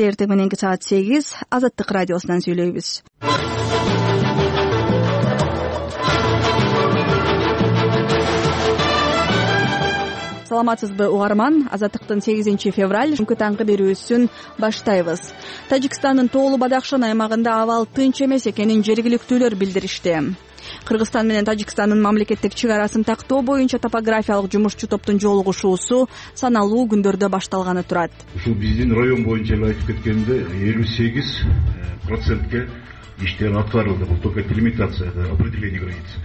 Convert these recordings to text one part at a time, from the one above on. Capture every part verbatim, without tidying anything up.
кечте эртең мененки саат сегиз Азаттык радиосунан сүйлөйбүз. Саламатсызбы угарман, Азаттыктын сегизинчи февраль күнкү таңкы берүүсүн баштайбыз. Тажикстандын Тоолу Бадахшан аймагында абал тынч эмес экенин жергиликтүүлөр билдиришти. Кыргызстан менен Тажикстандын мамлекеттик чек арасын тактоо боюнча топографиялык жумушчу топтун жолугушуусу саналуу күндөрдө башталганы турат. Ушул биздин район боюнча эле айтып кеткенде элүү сегиз процентке иштер аткарылды. Бул только делимитация, определение границ.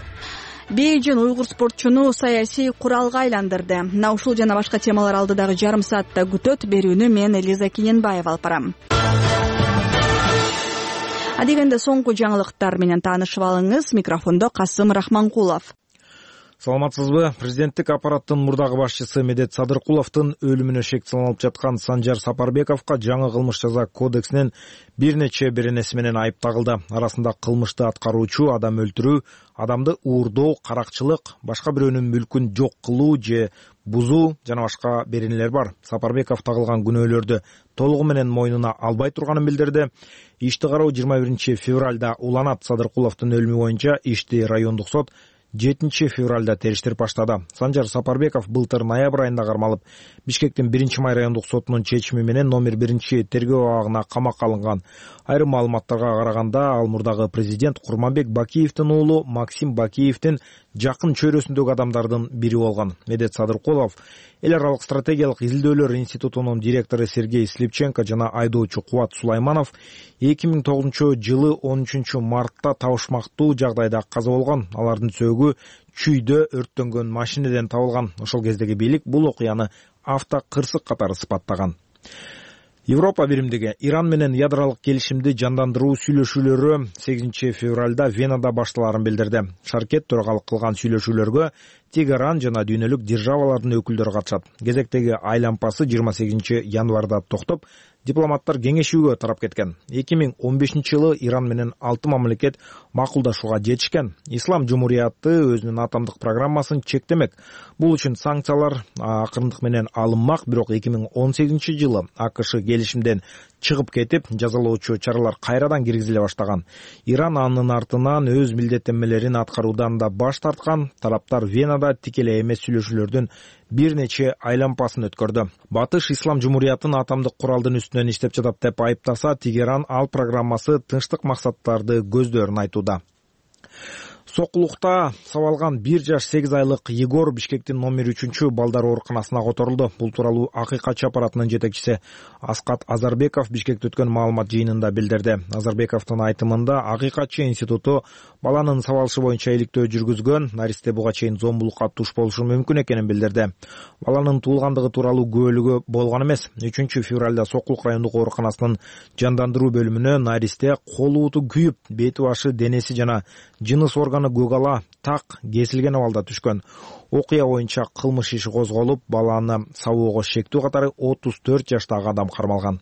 Бейжин уйгур спортчуну саясий куралга айландырды. Мына ушул жана башка темалар алдыдагы жарым саатта күтөт. Берүүнү мен Элиза Киненбаева алып барам. Адегенде соңку жаңылыктар менен таанышып алыңыз. Микрофондо Касым Рахманкулов. Саламатсызбы? Президенттик аппараттын мурдагы башчысы Медет Садыркуловдун өлүмүнө шек салынып жаткан Санжар Сапарбековго жаңы кылмыш жаза кодексинин бир нече беренеси менен айып тагылды. Арасында кылмышты аткаруучу, адам өлтүрүү, адамды уурдоо, каракчылык, башка бирөөнүн мүлкүн жок кылуу же бузуу жана башка беренелер бар. Сапарбеков тагылган күнөөлөрдү толугу менен мойнуна албай турганын билдирди. Ишти кароо жыйырма биринчи февралда уланат. Садыркуловдун өлүмү боюнча ишти райондук сот жетинчи февралда териштирип баштады. Санжар Сапарбеков былтыр ноябрь айында кармалып, Бишкектин биринчи май райондук сотунун чечими менен номер биринчи тергөө абагына камакка алынган. Айрым маалыматтарга караганда, ал мурдагы президент Курманбек Бакиевдин уулу Максим Бакиевдин жакын чөйрөсүндөгү адамдардын бири болгон. Медет Садыркулов эл аралык стратегиялык изилдөөлөр институтунун директору Сергей Слепченко жана айдоочу Кубат Сулайманов эки миң тогузунчу жылы он үчүнчү мартта табышмактуу жагдайда каза болгон. Алардын сөөгү чүйдө өрттөнгөн машинеден табылган. Ошол кездеги бийлик бул окуяны автокырсык катары сыпаттаган. Европа биримдиги Иран менен ядролук келишимди жандандыруу сүйлөшүүлөрү сегизинчи февралда Венада башталарын билдирди. Шаркет төрагалык кылган сүйлөшүүлөргө Тегеран жана дүйнөлүк державалардын өкүлдөрү катышат. Кезектеги айлампасы жыйырма сегизинчи январда токтоп, дипломаттар кеңешүүгө тарап кеткен. эки миң он бешинчи жылы Иран менен алты мамлекет макулдашууга жетишкен. Ислам Жумурияты өзүнүн атомдук программасын чектемек. Бул үчүн санкциялар акырындык менен алынмак, бирок эки миң он сегизинчи жылы АКШ келишимден чыгып кетип, жазалоочу чаралар кайрадан киргизиле баштаган. Иран анын артынан өз милдеттенмелерин аткаруудан да баш тарткан. Тараптар Венада тикелей эмес сүйлөшүүлөрдүн бир нече айлампасын өткөрдү. Батыш Ислам Жумуриятын атомдук куралдын үстүнөн иштеп жатат деп айыптаса, Тегеран ал программасы тынчтык максаттарды көздөрүн айтууда. Сокулукта сабалган бир жаш сегиз айлык Егор Бишкектин номер үчүнчү балдар ооруканасына которулду. Бул тууралуу Акыйкатчы аппаратынын жетекчиси Аскат Азарбеков Бишкекте өткөн маалымат жыйынында билдирди. Азарбековдун айтымында Акыйкатчы институту баланын сабалышы боюнча иликтөө жүргүзгөн, наристе буга чейин зомбулукка туш болушу мүмкүн экенин билдирди. Баланын туулгандыгы тууралуу күбөлүгү болгон эмес. үчүнчү февралда Сокулук райондук ооруканасынын жандандыруу бөлүмүнө наристе кол ууту күйүп, бети башы, денеси жана жыныс органы гөгала так кесилген абалда түшкөн. Окуя боюнча кылмыш иши козголуп, баланы сабоого шектүү катары отуз төрт жаштагы адам кармалган.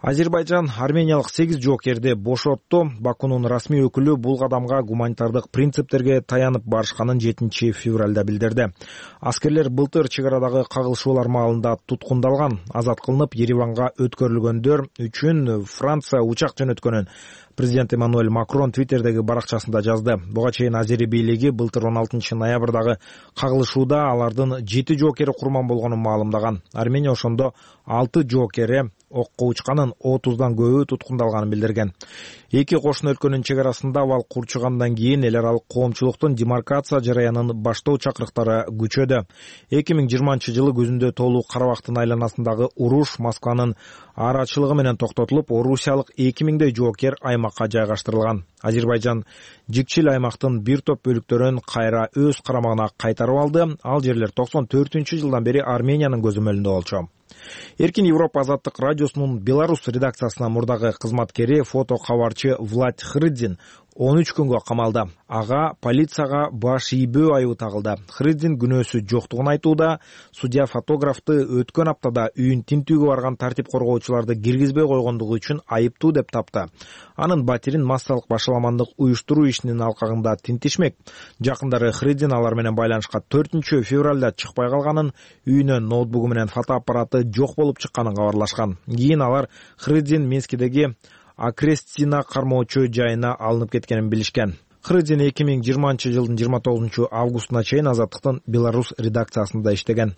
Азербайжан армениялык сегиз жоокерди бошотту. Бакунун расмий өкүлү бул кадамга гуманитардык принциптерге таянып барышканын жетинчи февралда билдирди. Аскерлер былтыр чек арадагы кагылышуулар маалында туткундалган. Азат кылынып, Ереванга өткөрүлгөндөр үчүн Франция учак жөнөткөнүн президент Эммануэль Макрон Твиттердеги баракчасында жазды. Буга чейин Азери бийлиги былтыр он алтынчы ноябрдагы кагылышууда алардын жети жоокери курман болгонун маалымдаган. Армения ошондо алты жоокери окко учканын, отуздан көбү туткундалганын билдирген. Эки кошуна өлкөнүн чек арасында абал курчугандан кийин эл аралык коомчулуктун демаркация жараянын баштоо чакырыктары күчөдү. эки миң жыйырманчы жылы көзүндө толуу Карабактын айланасындагы уруш Москванын арачылыгы менен токтотулуп, орусиялык эки миңдей жоокер аймакка жайгаштырылган. Азербайжан жикчил аймактын бир топ бөлүктөрүн кайра өз карамагына кайтарып алды. Ал жерлер токсон төртүнчү жылдан бери Армениянын көзөмөлүндө болчу. Эркин Европа азаттык радиосунун Беларусь редакциясына мурдагы кызматкери, фото кабарчы Влад Хрыдзин он үч күнгө камалды. Ага полицияга баш ийбөө айыбы тагылды. Хридзин күнөөсү жоктугун айтууда, судья фотографты өткөн аптада үйүн тинтүүгө барган тартип коргоочуларды киргизбей койгондугу үчүн айыптуу деп тапты. Анын батирин массалык башаламандык уюштуруу ишинин алкагында тинтишмек. Жакындары Хридзин алар менен байланышка төртүнчү февралда чыкпай калганын, үйүнөн ноутбугу менен фотоаппараты жок болуп чыкканын кабарлашкан. Кийин алар Хридзин Минскидеги Акрестина кармоочу жайына алынып кеткенин билишкен. Хридзин эки миң жыйырманчы жылдын жыйырма тогузунчу августуна чейин Азаттыктын Беларусь редакциясында иштеген.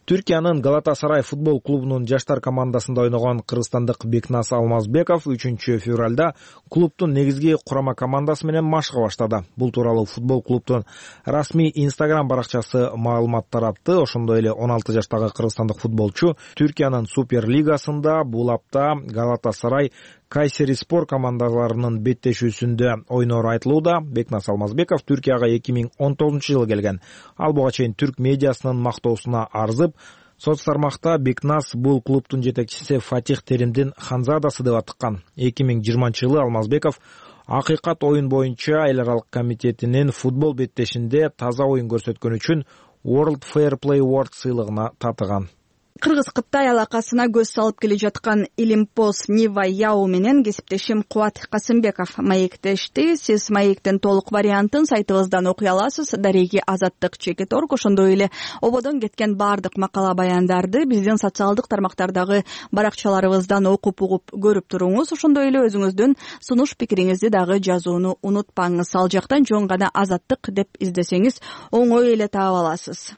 Түркиянын Галатасарай футбол клубунун жаштар командасында ойногон кыргызстандык Бекнас Алмазбеков үчүнчү февралда клубдун негизги курама командасы менен машыга баштады. Бул тууралуу футбол клубдун расмий Instagram баракчасы маалымат таратты. Ошондой эле он алты жаштагы кыргызстандык футболчу Түркиянын Супер лигасында бул апта Галатасарай Кайсери-Спор командаларынын беттешүүсүндө ойнору айтылууда. Бекнас Алмазбеков Түркияга эки миң он тогузунчу жылы келген. Ал буга чейин түрк медиасынын мактоосуна арзып, соц тармакта Бекнас бул клубдун жетекчиси Фатих Теримдин ханзадасы деп атыккан. эки миң жыйырманчы жылы Алмазбеков Акыйкат оюн боюнча эл аралык комитетинин футбол беттешинде таза оюн көрсөткөн үчүн World Fair Play Award сыйлыгына татыган. Кыргыз-Кытай алакасына көз салып келе жаткан Илимпоз Нива Яу менен кесиптешим Кубат Касымбеков маектешти. Сиз маектин толук вариантын сайтыбыздан окуй аласыз. Дареги Азаттык чекит орг, ошондой эле ободон кеткен бардык макала баяндарды биздин социалдык тармактардагы баракчаларыбыздан окуп угуп көрүп туруңуз. Ошондой эле өзүңүздүн сунуш пикириңизди дагы жазууну унутпаңыз. Ал жактан жөн гана Азаттык деп издесеңиз оңой эле таап аласыз.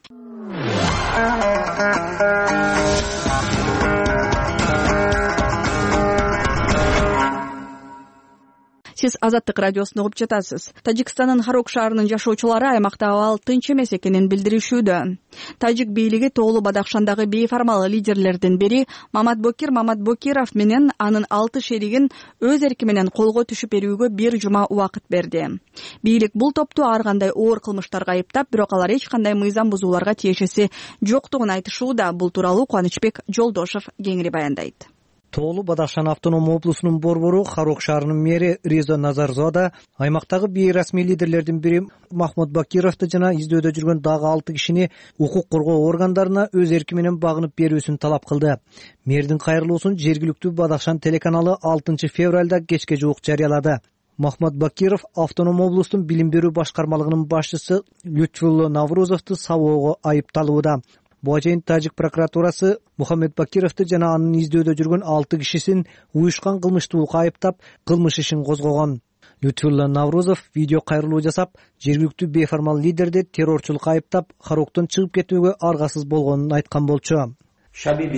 Сиз Азаттык радиосун угуп жатасыз. Тажикстандын Харок шаарынын жашоочулары аймакта абал тынч эмес экенин билдиришүүдө. Тажик бийлиги Тоолу Бадахшандагы бейформал лидерлердин бири Маматбокир Маматбокиров менен анын алты шеригин өз эрки менен колго түшүп берүүгө бир жума убакыт берди. Бийлик бул топту ар кандай оор кылмыштарга айыптап, бирок алар эч кандай мыйзам бузууларга тиешеси жоктугун айтышууда. Бул тууралуу Кубанычбек Жолдошов кеңири баяндайт. Тоолу Бадахшан автономдук облусунун борбору Харок шаарынын мэри Резо Назарзода аймактагы бейрасмий лидерлердин бири Махмуд Бакировду жана издөөдө жүргөн дагы алты кишини укук коргоо органдарына өз эрки менен багынып берүүсүн талап кылды. Мэрдин кайрылуусун жергиликтүү Бадахшан телеканалы алтынчы февралда кечке жуук жарыялады. Махмуд Бакиров автоном облустун билим берүү башкармалыгынын башчысы Лютфулло Наврузовду сабоого айыпталууда. Буга чейин Тажик прокуратурасы Мухаммед Бакировду жана анын издөөдө жүргөн алты кишисин уюшкан кылмыштуулукка айыптап, кылмыш ишин козгогон. Лютфулло Наврузов видео кайрылуу жасап, жергиликтүү бейформал лидерди террорчулукка айыптап, Хароктон чыгып кетүүгө аргасыз болгонун айткан болчу. жыйырма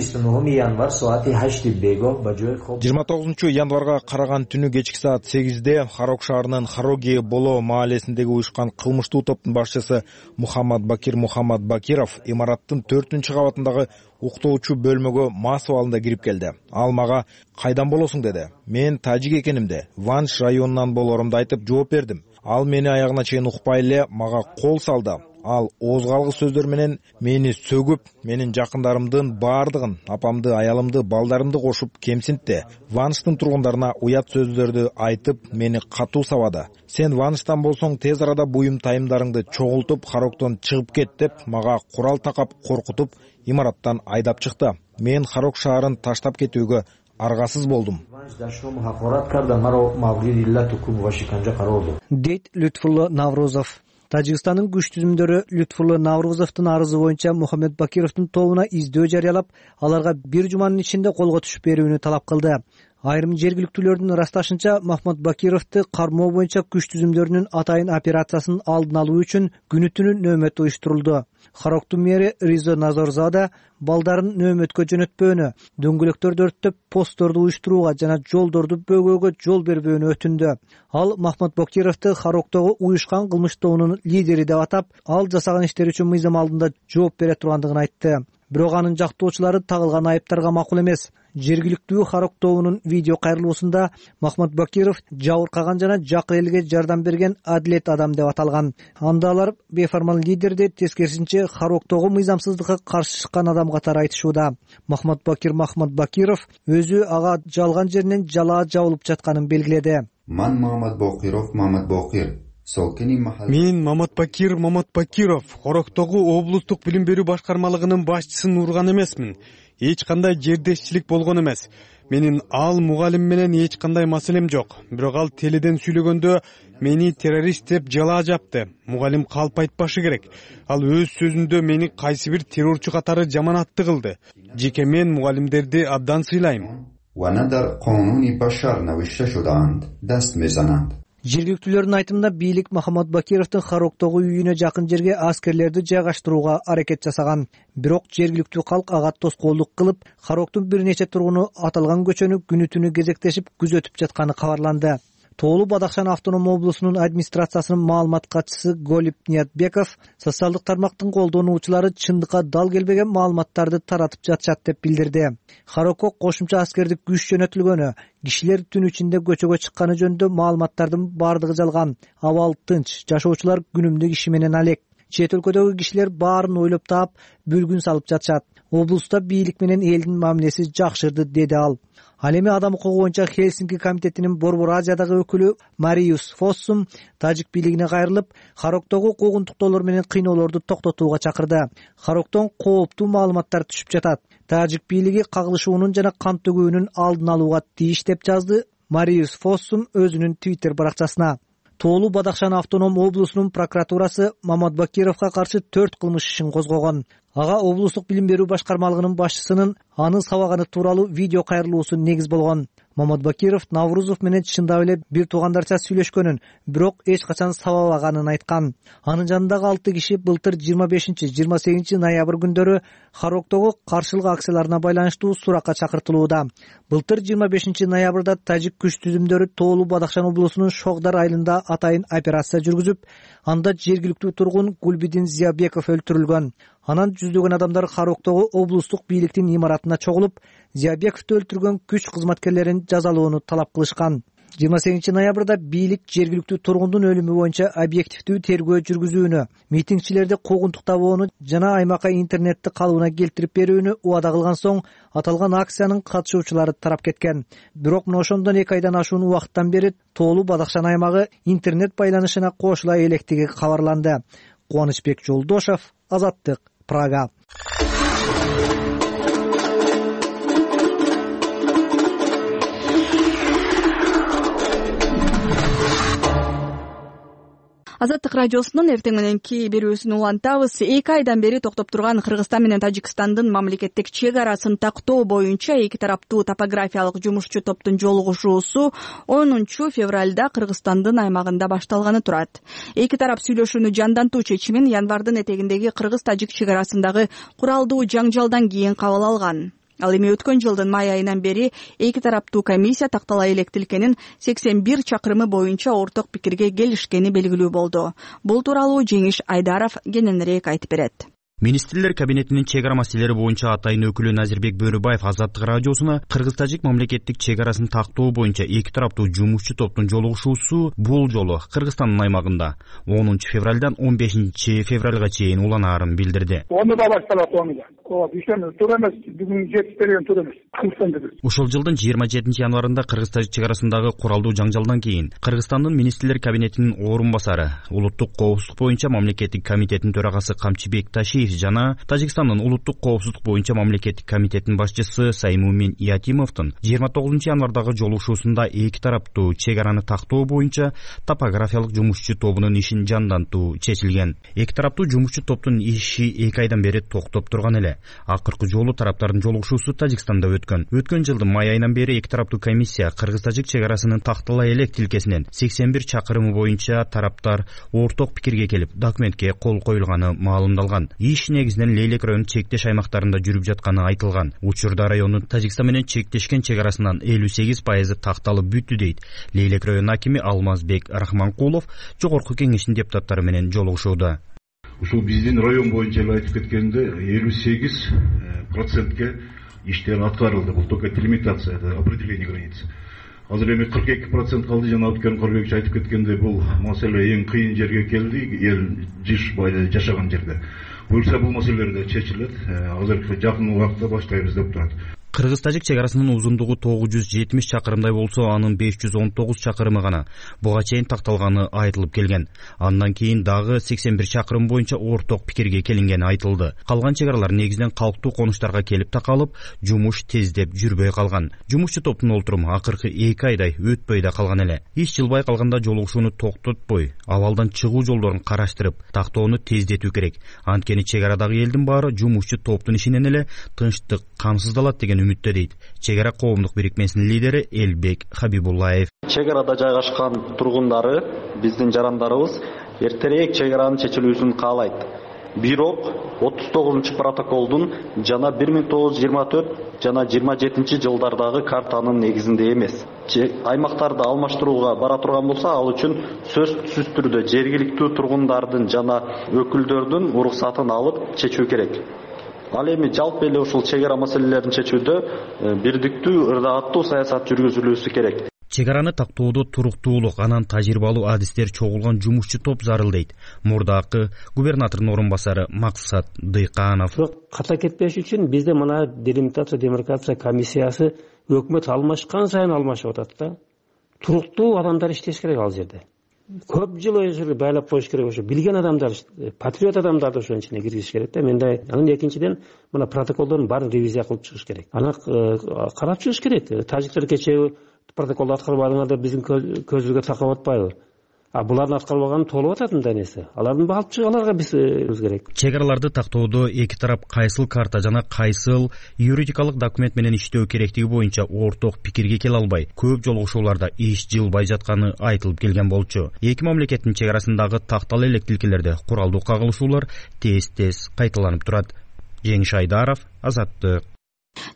тогузунчу январга караган түнү кечки саат сегизде Харок шаарынын Хароги Боло маалесиндеги уюшкан кылмыштуу топтун башчысы Мухаммад Бакир Мухаммад Бакиров имараттын төртүнчү кабатындагы уктоочу бөлмөгө мас абалында кирип келди. Ал мага кайдан болосуң деди. Мен тажик экенимди, Ванш районунан болорумду айтып жооп бердим. Ал мени аягына чейин укпай эле мага кол салды. Ал оозгалгыс сөздөр менен мени сөгүп, менин жакындарымдын баардыгын, апамды, аялымды, балдарымды кошуп кемсинтти. Ванштын тургундарына уят сөздөрдү айтып, мени катуу сабады. Сен Ванштан болсоң тез арада буюм тайымдарыңды чогултуп, Хароктон чыгып кет деп мага курал такап коркутуп, имараттан айдап чыкты. Мен Харок шаарын таштап кетүүгө аргасыз болдум. Дейт Лютфулло Наврузов. Тажикстандын күч түзүмдөрү Лютфулло Наврузовдун арызы боюнча Мухаммед Бакировдун тобуна издөө жарыялап, аларга бир жуманын ичинде колго түшүп берүүнү талап кылды. Айрым жергиликтүүлөрдүн ырасташынча, Махмуд Бакировду кармоо боюнча күч түзүмдөрүнүн атайын операциясын алдын алуу үчүн күнү түнү нөөмөт уюштурулду. Хароктун мэри Резо Назарзада балдарын нөөмөткө жөнөтпөөнү, дөңгөлөктөрдү өрттөп, постторду уюштурууга жана жолдорду бөгөөгө жол бербөөнү өтүндү. Ал Махмуд Бакировду Хароктогу уюшкан кылмыш тобунун лидери деп атап, ал жасаган иштери үчүн мыйзам алдында жооп бере тургандыгын айтты. Бирок анын жактоочулары тагылган айыптарга макул эмес. Жергиликтүү Харок тобунун видео кайрылуусунда Махмуд Бакиров жабыркаган жана жакын элге жардам берген адилет адам деп аталган. Анда алар бейформал лидерди тескерисинче Хароктогу мыйзамсыздыкка каршы чыккан адам катары айтышууда. Махмуд Бакир Махмуд Бакиров өзү ага жалган жеринен жалаа жабылып жатканын белгиледи. Ман Мамат Бокиров Мамат Бокир. Мен Мамат Бакир Мамат Бакиров, Хороктогу облустук билим берүү башкармалыгынын башчысын урган эмесмин. Эч кандай жердешчилик болгон эмес. Менин ал мугалим менен эч кандай маселем жок. Бирок ал теледен сүйлөгөндө мени террорист деп жалаа жапты. Мугалим калп айтпашы керек. Ал өз сөзүндө мени кайсы бир террорчу катары жаманатты кылды. Жеке мен мугалимдерди абдан сыйлайм. Жергиликтүүлөрдүн айтымында бийлик Мухаммад Бакировдун Хороктогу үйүнө жакын жерге аскерлерди жайгаштырууга аракет жасаган. Бирок жергиликтүү калк ага тоскоолдук кылып, Хороктун бир нече тургуну аталган көчөнү күнү түнү кезектешип күзөтүп жатканы кабарланды. Тоолу Бадахшан автоном облусунун администрациясынын маалымат катчысы Голип Ниятбеков социалдык тармактын колдонуучулары чындыкка дал келбеген маалыматтарды таратып жатышат деп билдирди. Хорокко кошумча аскердик күч жөнөтүлгөнү, кишилер түн ичинде көчөгө чыкканы жөнүндө маалыматтардын бардыгы жалган. Абал тынч, жашоочулар күнүмдүк иши менен алек. Чет өлкөдөгү кишилер баарын ойлоп таап, бүлгүн салып жатышат. Облуста бийлик менен элдин мамилеси жакшырды, деди ал. Ал эми адам укугу боюнча Хельсинки комитетинин Борбор Азиядагы өкүлү Мариус Фоссум тажик бийлигине кайрылып, Хороктогу куугунтуктоолор менен кыйноолорду токтотууга чакырды. Хороктон кооптуу маалыматтар түшүп жатат. Тажик бийлиги кагылышуунун жана кан төгүүнүн алдын алууга тийиш деп жазды Мариус Фоссум өзүнүн Twitter баракчасына. Тоолу Бадахшан автоном облусунун прокуратурасы Мамат Бакировго каршы төрт кылмыш ишин козгогон. Ага облустук билим берүү башкармалыгынын башчысынын аны сабаганы тууралуу видео кайрылуусу негиз болгон. Мамат Бакиров Наврузов менен чындап эле бир туугандарча сүйлөшкөнүн, бирок эч качан сабабаганын айткан. Анын жанындагы алты киши былтыр жыйырма бешинчи жыйырма сегизинчи ноябрь күндөрү Хороктогу каршылык акцияларына байланыштуу суракка чакыртылууда. Былтыр жыйырма бешинчи ноябрда тажик күч түзүмдөрү Тоолу Бадахшан облусунун Шогдар айылында атайын операция жүргүзүп, анда жергиликтүү тургун Гулбидин Зиябеков өлтүрүлгөн. Анан жүздөгөн адамдар Хороктогу облустук бийликтин имаратына чогулуп, Зиябековду өлтүргөн күч кызматкерлерин жазалоону талап кылышкан. жыйырма сегизинчи ноябрда бийлик жергиликтүү тургундун өлүмү боюнча объективдүү тергөө жүргүзүүнү, митингчилерди куугунтуктабоону жана аймакка интернетти калыбына келтирип берүүнү убада кылган соң, аталган акциянын катышуучулары тарап кеткен. Бирок мына ошондон эки айдан ашуун убакыттан бери Тоолу Бадахшан аймагы интернет байланышына кошула электиги кабарланды. Кубанычбек Жолдошов, Азаттык, Прага. Азаттык радиосунун эртең мененки берүүсүн улантабыз. эки айдан бери токтоп турган Кыргызстан менен Тажикстандын мамлекеттик чек арасын тактоо боюнча эки тараптуу топографиялык жумушчу топтун жолугушуусу онунчу февралда Кыргызстандын аймагында башталганы турат. Эки тарап сүйлөшүүнү жандантуу чечимин январдын этегиндеги Кыргыз-Тажик чек арасындагы куралдуу жаңжалдан кийин кабыл алган. Ал эми өткөн жылдын май айынан бери эки тараптуу комиссия тактала электилкенин сексен бир чакырымы боюнча орток пикирге келишкени белгилүү болду. Бул тууралуу Жеңиш Айдаров кененирээк айтып берет. Министрлер кабинетинин чек ара маселелери боюнча атайын өкүлү Назирбек Бөрүбаев Азаттык радиосуна Кыргыз-Тажик мамлекеттик чек арасын тактоо боюнча эки тараптуу жумушчу топтун жолугушуусу бул жолу Кыргызстандын аймагында онунчу февралдан он бешинчи февралга чейин уланаарын билдирди. Оны да башталат, оны да. Ооба, ишен туура эмес, бүгүн жетип берген туура эмес. Ушул жылдын жыйырма жетинчи январында Кыргыз-Тажик чек арасындагы куралдуу жаңжалдан кийин Кыргызстандын Министрлер кабинетинин орун басары, улуттук коопсуздук боюнча мамлекеттик комитеттин төрагасы Камчыбек Ташиев жана Тажикстандын улуттук коопсуздук боюнча мамлекеттик комитеттин башчысы Саймумин Иатимовдун жыйырма тогузунчу январдагы жолугушуусунда эки тараптуу чек араны тактоо боюнча топографиялык жумушчу тобунун ишин жандантуу чечилген. Эки тараптуу жумушчу топтун иши эки айдан бери токтоп турган эле. Акыркы жолу тараптардын жолугушуусу Тажикстанда өткөн. Өткөн жылдын май айынан бери эки тараптуу комиссия Кыргыз-Тажик чек арасынын тактала элек тилкесинен сексен бир чакырымы боюнча тараптар орток пикирге келип, документке кол коюлганы маалымдалган. Иш негизинен Лейлек районунун чектеш аймактарында жүрүп жатканы айтылган. Учурда райондун Тажикстан менен чектешкен чек арасынан элүү сегиз пайызы такталып бүттү дейт Лейлек районунун акими Алмазбек Рахманкулов жогорку кеңештин депутаттары менен жолугушууда. Ушул биздин район боюнча эле айтып кеткенде элүү сегиз процентке иштер аткарылды. Бул только делимитация, определение границ. Азыр эми кырк эки процент калды. Жана өткөн Корбекчи айтып кеткенде бул маселе эң кыйын жерге келди, эл жыш байда жашаган жерде. Буюрса бул маселелер да чечилет. Азыр жакын убакытта баштайбыз деп турат. Кыргыз-тажик чек арасынын узундугу тогуз жүз жетимиш чакырымдай болсо, анын беш жүз он тогуз чакырымы гана буга чейин такталганы айтылып келген. Андан кийин дагы сексен бир чакырым боюнча орток пикирге келингени айтылды. Калган чек аралар негизинен калктуу конуштарга келип такалып, жумуш тездеп жүрбөй калган. Жумушчу топтун олтуруму акыркы эки айдай өтпөй да калган эле. Иш жылбай калганда жолугушууну токтотпой, абалдан чыгуу жолдорун караштырып, тактоону тездетүү керек. Анткени чек арадагы элдин баары жумушчу топтун ишинен эле тынчтык камсыздалат деген үмүттө дейт чек ара коомдук бирикмесинин лидери Элбек Хабибуллаев. Чек арада жайгашкан тургундары, биздин жарандарыбыз эртерээк чек аранын чечилүүсүн каалайт. Бирок отуз тогузунчу протоколдун жана бир миң тогуз жүз жыйырма төрт жана жыйырма жетинчи жылдардагы картанын негизинде эмес. Аймактарды алмаштырууга бара турган болсо, ал үчүн сөзсүз түрдө жергиликтүү тургундардын жана өкүлдөрдүн уруксатын алып чечүү керек. Ал эми жалпы эле ушул чек ара маселелерин чечүүдө бирдиктүү, ырдааттуу саясат жүргүзүлүүсү керек. Чек араны тактоодо туруктуулук, анан тажрыйбалуу адистер чогулган жумушчу топ зарыл дейт мурдакы губернатордун орун басары Максат Дыйканов. Ката кетпеш үчүн бизде мына делимитация демаркация комиссиясы өкмөт алмашкан сайын алмашып атат да. Туруктуу адамдар иштеш керек ал жерде. Көп жыл өзүрү байлап коюш керек, ошо билген адамдар, патриот адамдарды ошонун ичине киргизиш керек да. Менде анын экинчиден мына протоколдордун баарын ревизия кылып чыгыш керек. Аны карап чыгыш керек. Тажиктер кечээ протоколду аткарбадыңар деп биздин көзүбүзгө такап атпайбы? А булардын аткарбаганы толуп атат мындай нерсе. Алардын алып чыгаларга биз керек. Чек араларды тактоодо эки тарап кайсыл карта жана кайсыл юридикалык документ менен иштөө керектиги боюнча орток пикирге келе албай, көп жолугушууларда иш жылбай жатканы айтылып келген болчу. Эки мамлекеттин чек арасындагы тактал элек тилкелерде куралдуу кагылышуулар тез-тез кайталанып турат. Жеңиш Айдаров, Азаттык.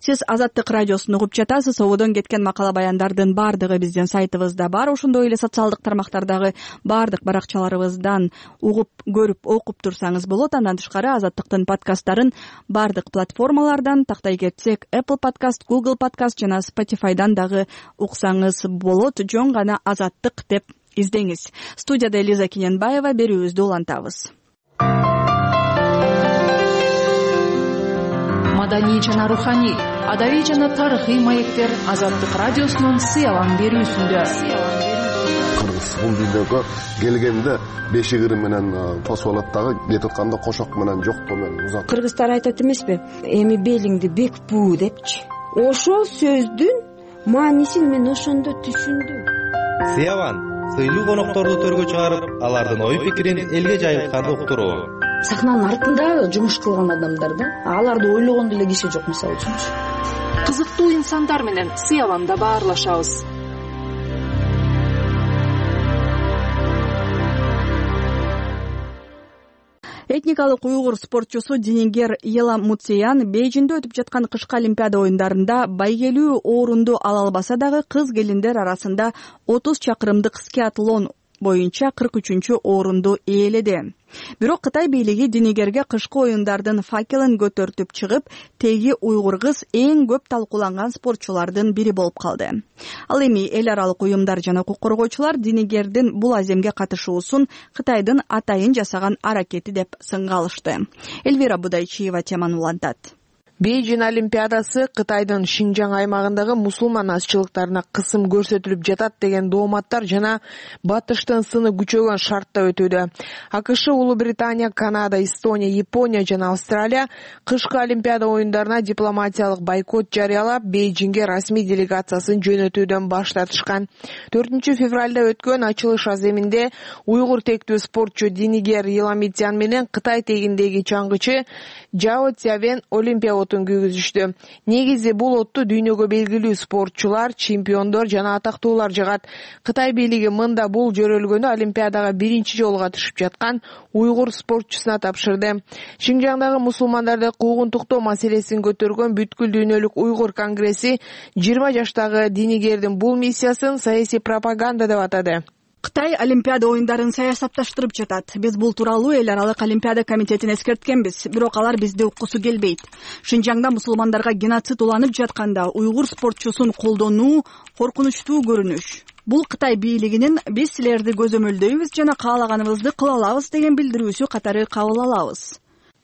Сиз Азаттык радиосун угуп жатасыз. Ободон кеткен макала баяндардын баардыгы биздин сайтыбызда бар. Ошондой эле социалдык тармактардагы баардык баракчаларыбыздан угуп, көрүп, окуп турсаңыз болот. Андан тышкары Азаттыктын подкасттарын баардык платформалардан, тактай кетсек Apple Podcast, Google Podcast жана Spotify'дан дагы уксаңыз болот. Жөн гана Азаттык деп издеңиз. Студияда Элиза Кененбаева, берүүбүздү улантабыз. Маданий жана руханий, адабий жана тарыхый маектер Азаттык радиосунун сыялан берүүсүндө. Кыргыз бул видеого келгенде бешигири менен посволаттагы кетип атканда кошок менен жоктоо менен узат. Кыргыздар айтат эмеспи? Эми белиңди бек буу депчи. Ошол сөздүн маанисин мен ошондо түшүндүм. Сыялан сыйлуу конокторду төргө чыгарып, алардын ой пикирин элге жайылтканды уктуруу. Сахнанын артында жумуш кылган адамдар да, аларды ойлогон деле киши жок, мисалы үчүн. Кызыктуу инсандар менен сыяланда баарлашабыз. Этникалык уйгур спортчусу Динигер Еламутсиян Бейжиңде өтүп жаткан кышкы Олимпиада оюндарында байгелүү орунду ала албаса дагы кыз келиндер арасында отуз чакырымдык скиатлон боюнча кырк үчүнчү орунду ээледи. Бирок Кытай бийлиги Динигерге кышкы оюндардын факелин көтөртүп чыгып, теги уйгур кыз эң көп талкууланган спортчулардын бири болуп калды. Ал эми эл аралык уюмдар жана укук коргоочулар Динигердин бул аземге катышуусун Кытайдын атайын жасаган аракети деп сынга алышты. Элвира Будайчиева теманы улантат. Бейжин Олимпиадасы Кытайдын Шинжаң аймагындагы мусулман азчылыктарына кысым көрсөтүлүп жатат деген дооматтар жана батыштын сыны күчөгөн шартта өтүүдө. АКШ, Улуу Британия, Канада, Эстония, Япония жана Австралия кышкы Олимпиада оюндарына дипломатиялык бойкот жарыялап, Бейжиңге расмий делегациясын жөнөтүүдөн баш тартышкан. төртүнчү февралда өткөн ачылыш аземинде уйгур тектүү спортчу Динигер Еламутсиян менен Кытай тегиндеги чаңгычы Жао Цзявен Олимпия отун күйгүзүштү. Негизи бул отту дүйнөгө белгилүү спортчулар, чемпиондор жана атактуулар жагат. Кытай бийлиги мында бул жөрөлгөнү Олимпиадага биринчи жолу катышып жаткан уйгур спортчусуна тапшырды. Шинжаңдагы мусулмандарды куугунтуктоо маселесин көтөргөн бүткүл дүйнөлүк уйгур конгресси жыйырма жаштагы Динигердин бул миссиясын саясий пропаганда деп атады. Кытай Олимпиада оюндарын саясатташтырып жатат. Биз бул тууралуу эл аралык Олимпиада комитетин эскерткенбиз, бирок алар бизди уккусу келбейт. Шинжаңда мусулмандарга геноцид уланып жатканда уйгур спортчусун колдонуу коркунучтуу көрүнүш. Бул Кытай бийлигинин биз силерди көзөмөлдөйбүз жана каалаганыбызды кыла алабыз деген билдирүүсү катары кабыл алабыз.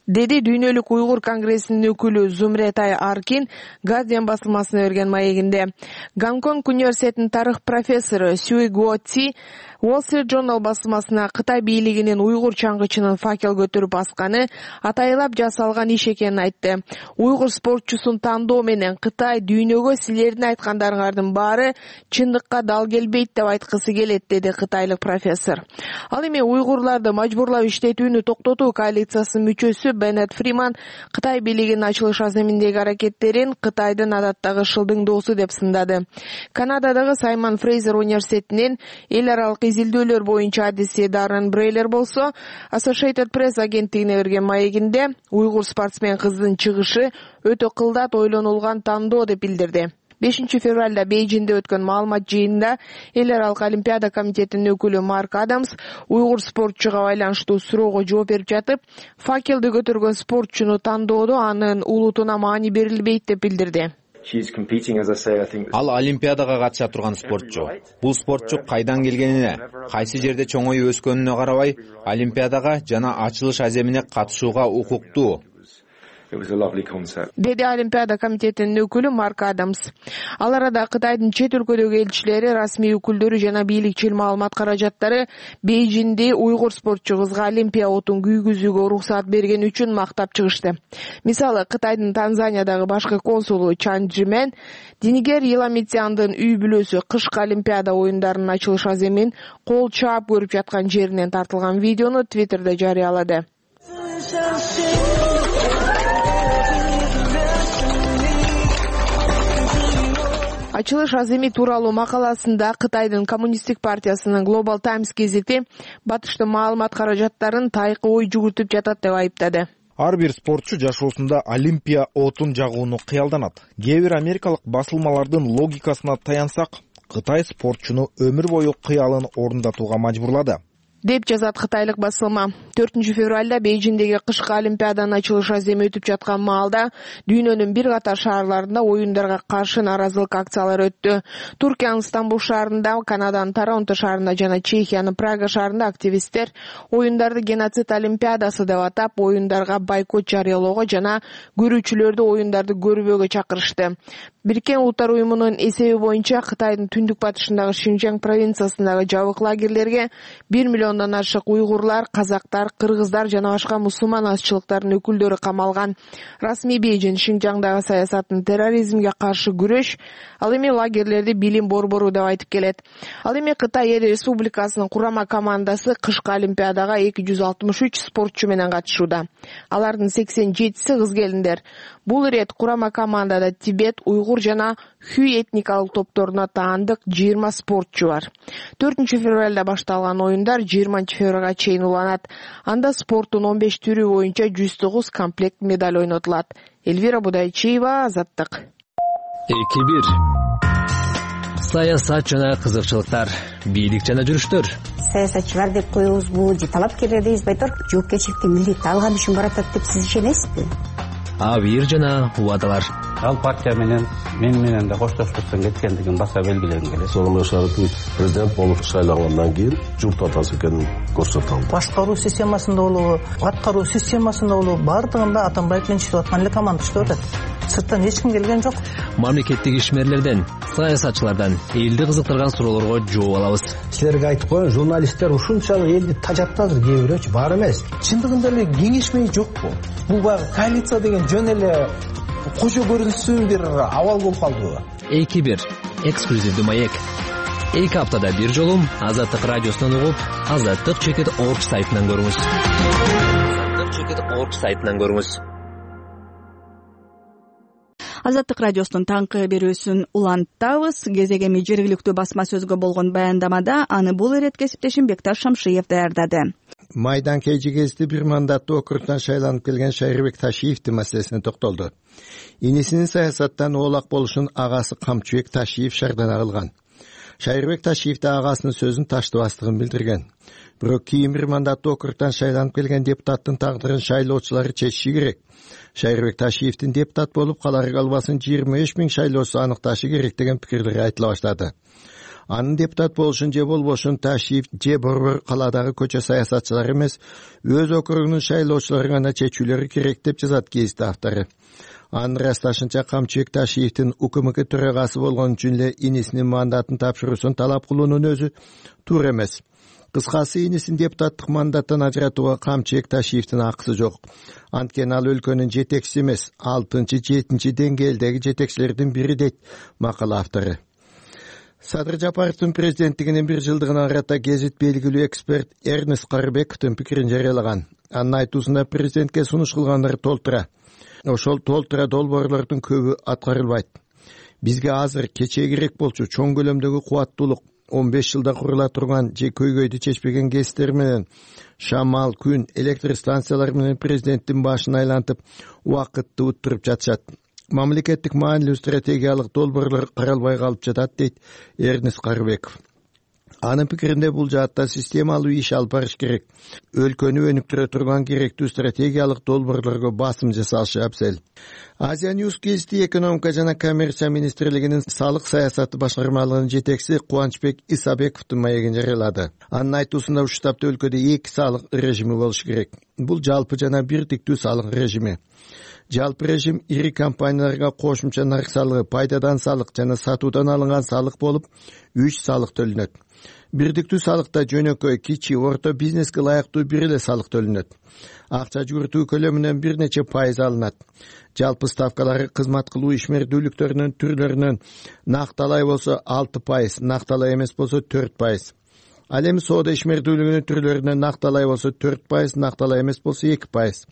деди Дүйнөлүк уйгур конгрессинин өкүлү Зумретай Аркин Guardian басылмасына берген маегинде. Гонконг университетинин тарых профессору Сюй Гуо Ци Wall Street Journal басылмасына Кытай бийлигинин уйгур чаңгычынын факел көтөрүп асканы атайылап жасалган иш экенин айтты. Уйгур спортчусун тандоо менен Кытай дүйнөгө силердин айткандарыңардын баары чындыкка дал келбейт деп айткысы келет, деди кытайлык профессор. Ал эми уйгурларды мажбурлап иштетүүнү токтотуу коалициясынын мүчөсү Беннет Фриман Кытай бийлигинин ачылыш аземиндеги аракеттерин Кытайдын адаттагы шылдыңдоосу деп сындады. Канададагы Саймон Фрейзер университетинин эл аралык изилдөөлөр боюнча адиси Даррен Брейлер болсо Associated Press агенттигине берген маегинде уйгур спортсмен кыздын чыгышы өтө кылдат ойлонулган тандоо деп билдирди. бешинчи февралда Бейжиңде өткөн маалымат жыйынында эл аралык олимпиада комитетинин өкүлү Марк Адамс уйгур спортчуга байланыштуу суроого жооп берип жатып, факелди көтөргөн спортчуну тандоодо анын улутуна маани берилбейт деп билдирди. Ал олимпиадага катыша турган спортчу. Бул спортчу кайдан келгенине, кайсы жерде чоңоюп өскөнүнө карабай, олимпиадага жана ачылыш аземине катышууга укуктуу, деди Олимпиада комитетинин өкүлү Марк Адамс. Ал арада Кытайдын чет өлкөдөгү элчилери, расмий өкүлдөрү жана бийликчил маалымат каражаттары Бейжиңде уйгур спортчу кызга Олимпия отун күйгүзүүгө уруксаат бергени үчүн мактап чыгышты. Мисалы, Кытайдын Танзаниядагы башкы консулу Чан Джимен Динигер Иламитяндын үй бүлөсү кышкы Олимпиада оюндарынын ачылыш аземин кол чаап көрүп жаткан жеринен тартылган видеону Твиттерде жарыялады. Ачылыш аземи тууралуу макаласында Кытайдын коммунисттик партиясынын Global Times гезити батыштын маалымат каражаттарын тайкы ой жүгүртүп жатат деп айыптады. Ар бир спортчу жашоосунда Олимпия отун жагууну кыялданат. Кээ бир америкалык басылмалардын логикасына таянсак, Кытай спортчуну өмүр бою кыялын орундатууга мажбурлады, деп жазат кытайлык басылма. төртүнчү февралда Бейжиңдеги кышкы олимпиаданын ачылыш аземи өтүп жаткан маалда дүйнөнүн бир катар шаарларында оюндарга каршы наразылык акциялары өттү. Туркиянын Стамбул шаарында, Канаданын Торонто шаарында жана Чехиянын Прага шаарында активисттер оюндарды геноцид олимпиадасы деп атап, оюндарга бойкот жарыялоого жана көрүүчүлөрдү оюндарды көрбөөгө чакырышты. Бириккен Улуттар уюмунун эсеби боюнча Кытайдын түндүк батышындагы Шинжаң провинциясындагы жабык лагерлерге бир миллиондон ашык уйгурлар, казактар, кыргыздар жана башка мусулман азчылыктардын өкүлдөрү камалган. Расмий Бейжиң Шинжаңдагы саясаттын терроризмге каршы күрөш, ал эми лагерлерди билим борбору деп айтып келет. Ал эми Кытай Эл Республикасынын курама командасы кышкы олимпиадага эки жүз алтымыш үч спортчу менен катышууда. Алардын сексен жетиси кыз келиндер. Бул ирет курама командада Тибет, уйгур жана Хүй этникалык топторуна таандык жыйырма спортчу бар. төртүнчү февралда башталган оюндар жыйырманчы февралга чейин уланат. Анда спорттун он беш түрү боюнча жүз тогуз комплект медаль ойнотулат. Элвира Будайчиева, Азаттык. эки бир Саясат жана кызыкчылыктар, бийлик жана жүрүштөр. Саясатчылар деп коебузбу, же талапкерлер дейбизби, айтор жоопкерчиликти милдетти алган үчүн баратат деп сиз ишенесизби? Абийир жана убадалар. Ал партия менен мен менен да коштоштуктан кеткендигин баса белгилегим келет. Сонун шарты президент болуп шайлангандан кийин журт атасы экенин көрсөтө алды. Башкаруу системасында болобу, аткаруу системасында болобу, бардыгында Атамбаев менен иштеп аткан эле команда иштеп атат. Сырттан эч ким келген жок. Мамлекеттик ишмерлерден, саясатчылардан элди кызыктырган суроолорго жооп алабыз. Силерге айтып коеюн, журналисттер ушунчалык элди тажаттадыр, кээ бирөөчү бар эмес. Чындыгында эле кеңешмей жокпу? Бул баягы коалиция деген жөн эле кожо көрүнсүн бир абал болуп калдыбы? эки бир эксклюзивдүү маек. эки аптада бир жолу Азаттык радиосунан угуп, азаттык чекит орг сайтынан көрүңүз. азаттык чекит орг сайтынан көрүңүз. Азаттык радиосунун таңкы берүүсүн улантабыз. Кезегеми жергиликтүү басма сөзгө болгон баяндамада аны бул ирет кесиптешим Бекташ Шамшиев даярдады. Майдан Кейжи кезди бир мандаттуу округтан шайланып келген Шайрыбек Ташиевдин маселесине токтолду. Инисинин саясаттан оолак болушун агасы Камчыбек Ташиев шардана кылган. Шайрыбек Ташиев да агасынын сөзүн таштабастыгын билдирген. Бирок кийин бир мандаттуу округтан шайланып келген депутаттын тагдырын шайлоочулары чечиши керек. Шайрыбек Ташиевдин депутат болуп калары калбасын жыйырма беш миң шайлоочу аныкташы керек деген пикирлер айтыла баштады. Анын депутат болушун же болбошун Ташиев же борбор калаадагы көчө саясатчылары эмес, өз округунун шайлоочулары гана чечүүлөрү керек деп жазат гезит автору. Анын ырасташынча Камчыбек Ташиевдин УКМК төрагасы болгон үчүн эле инисинин мандатын тапшыруусун талап кылуунун өзү туура эмес. Кыскасы, инисин депутаттык мандаттан ажыратууга Камчыбек Ташиевдин акысы жок. Анткени ал өлкөнүн жетекчиси эмес, алтынчы жетинчи деңгээлдеги жетекчилердин бири дейт макала автору. Садыр Жапаровдун президенттигинин бир жылдыгына карата гезит белгилүү эксперт Эрнест Карыбековдун пикирин жарыялаган. Анын айтуусунда президентке сунуш кылгандар толтура. Ошол толтура долбоорлордун көбү аткарылбайт. Бизге азыр кечээ керек болчу чоң көлөмдөгү кубаттуулук, он беш жылда курула турган же көйгөйдү чечпеген гезиттер менен, шамал, күн, электр станциялары менен президенттин башын айлантып, убакытты уттуруп жатышат. Мамлекеттик маанилүү стратегиялык долбоорлор каралбай калып жатат, дейт Эрнест Карыбеков. Анын пикиринде бул жаатта системалуу иш алып барыш керек. Өлкөнү өнүктүрө турган керектүү стратегиялык долбоорлорго басым жасалышы абзел. Азия Ньюс гезити экономика жана коммерция министрлигинин салык саясаты башкармалыгынын жетекчиси Кубанычбек Исабековдун маегин жарыялады. Анын айтуусунда ушул таапта өлкөдө эки салык режими болушу керек. Бул жалпы жана бирдиктүү салык режими. Жалпы режим ири компанияларга кошумча нарк салыгы, пайдадан салык жана сатуудан алынган салык болуп, үч салык төлөнөт. Бирдиктүү салыкта жөнөкөй, кичи, орто бизнеске ылайыктуу бир эле салык төлөнөт. Акча жүгүртүү көлөмүнөн бир нече пайыз алынат. Жалпы ставкалары кызмат кылуу ишмердүүлүктөрүнүн түрлөрүнөн накталай болсо алты пайыз, накталай эмес болсо төрт пайыз. Ал эми соода ишмердүүлүгүнүн түрлөрүнөн накталай болсо төрт пайыз, накталай эмес болсо эки пайыз.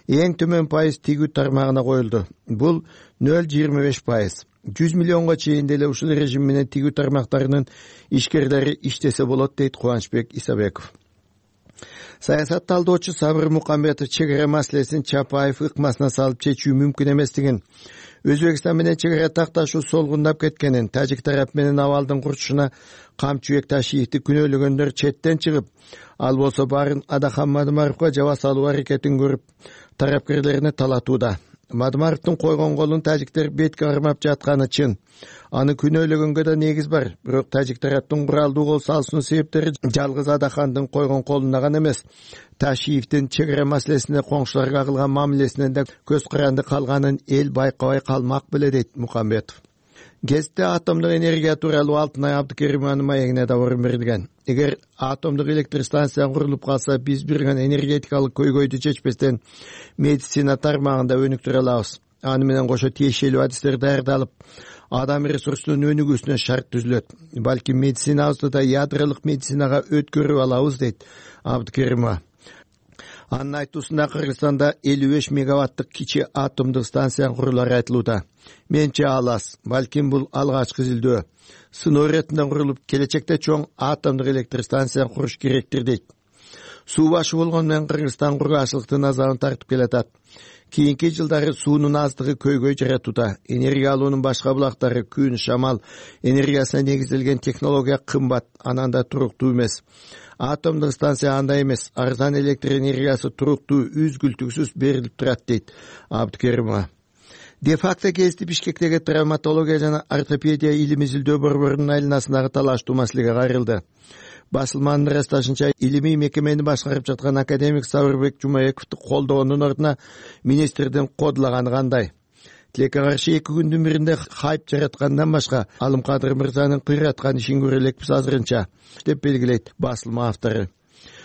Эң төмөн пайыз тигүү тармагына коюлду. Бул нөл жыйырма беш пайыз. жүз миллионго чейин деле ушул режим менен тигүү тармактарынын ишкерлери иштесе болот, дейт Кубанычбек Исабеков. Саясат талдоочу Сабыр Мукамбетов чек ара маселесин Чапаев ыкмасына салып чечүү мүмкүн эместигин, Өзбекстан менен чек ара такташуу солгундап кеткенин, тажик тарап менен абалдын курчушуна Камчыбек Ташиевди күнөөлөгөндөр четтен чыгып, ал болсо баарын Адахан Мадымаровго жаба салуу аракетин көрүп, тарапкерлерине талатууда. Мадымаровдун койгон колун тажиктер бетке кармап жатканы чын. Аны күнөөлөгөнгө да негиз бар. Бирок тажик тараптын куралдуу кол салуусунун себептери жалгыз Адахандын койгон колунда гана эмес, Ташиевдин чек ара маселесинде коңшуларга кылган мамилесинен да көз каранды калганын эл байкабай калмак беле, дейт Мукамбетов. Гезитте атомдук энергия тууралуу Алтынай Абдыкеримованын маегине да орун берилген. Эгер атомдук электр станция курулуп калса, биз бир гана энергетикалык көйгөйдү чечпестен медицина тармагында өнүктүрө алабыз. Аны менен кошо тиешелүү адистер даярдалып, адам ресурсунун өнүгүүсүнө шарт түзүлөт. Балким медицинабызды да ядролук медицинага өткөрүп алабыз, дейт Абдыкеримова. Анын айтуусунда Кыргызстанда элүү беш мегаваттык кичи атомдук станция курулары айтылууда. Менче ал аз, балким бул алгачкы изилдөө. Сыноо иретинде курулуп, келечекте чоң атомдук электр станция куруш керектир, дейт. Суу башы болгону менен Кыргызстан кургашылыктын азабын тартып келатат. Кийинки жылдары суунун аздыгы көйгөй жаратууда. Энергия алуунун башка булактары, күн, шамал энергиясына негизделген технология кымбат, анан да туруктуу эмес. Атомдук станция андай эмес, арзан электр энергиясы туруктуу, үзгүлтүксүз берилип турат, дейт Абдыкеримова. Де-факто гезити Бишкектеги травматология жана ортопедия илим изилдөө борборунун айланасындагы талаштуу маселеге кайрылды. Басылманын ырасташынча, илимий мекемени башкарып жаткан академик Сабырбек Жумаековду колдогондун ордуна министрдин кодлаганы кандай? Тилекке каршы эки күндүн биринде хайп жараткандан башка Алымкадыр мырзанын кыйраткан ишин көрө элекпиз азырынча, деп белгилейт басылма автору.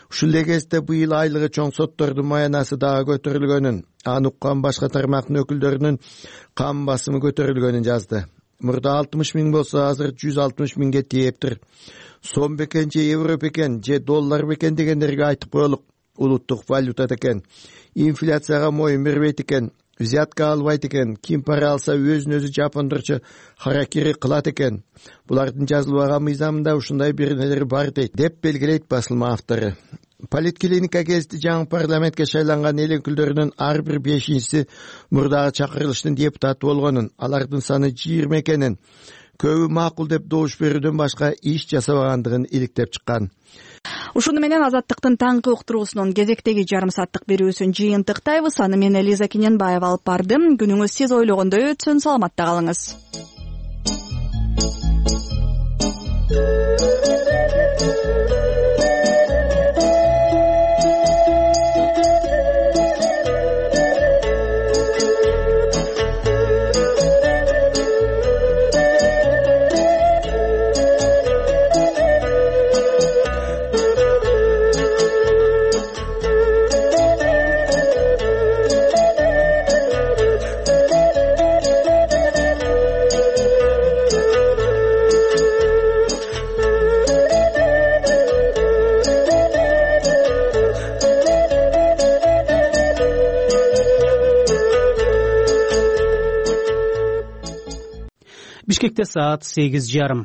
Ушул эле кезде быйыл айлыгы чоң соттордун маянасы дагы көтөрүлгөнүн, аны уккан башка тармактын өкүлдөрүнүн кам басымы көтөрүлгөнүн жазды. Мурда алтымыш миң болсо, азыр жүз алтымыш миңге тээптир. Сом бекен же евро бекен же доллар бекен дегендерге айтып коелук. Улуттук валюта экен. Инфляцияга моюн бербейт экен. Взятка албайт экен. Ким пара алса өзүн өзү жапондорчо харакири кылат экен. Булардын жазылбаган мыйзамында ушундай бир нелер бар, дейт, деп белгилейт басылма автору. Политклиника гезити жаңы парламентке шайланган эл өкүлдөрүнүн ар бир бешинчиси мурдагы чакырылыштын депутаты болгонун, алардын саны жыйырма экенин, көбү макул деп добуш берүүдөн башка иш жасабагандыгын иликтеп чыккан. Ушуну менен Азаттыктын таңкы уктуруусунун кезектеги жарым сааттык берүүсүн жыйынтыктайбыз. Аны мен Элиза Кененбаева алып бардым. Күнүңүз сиз ойлогондой өтсүн. Саламатта калыңыз. Бишкекте саат сегиз жарым.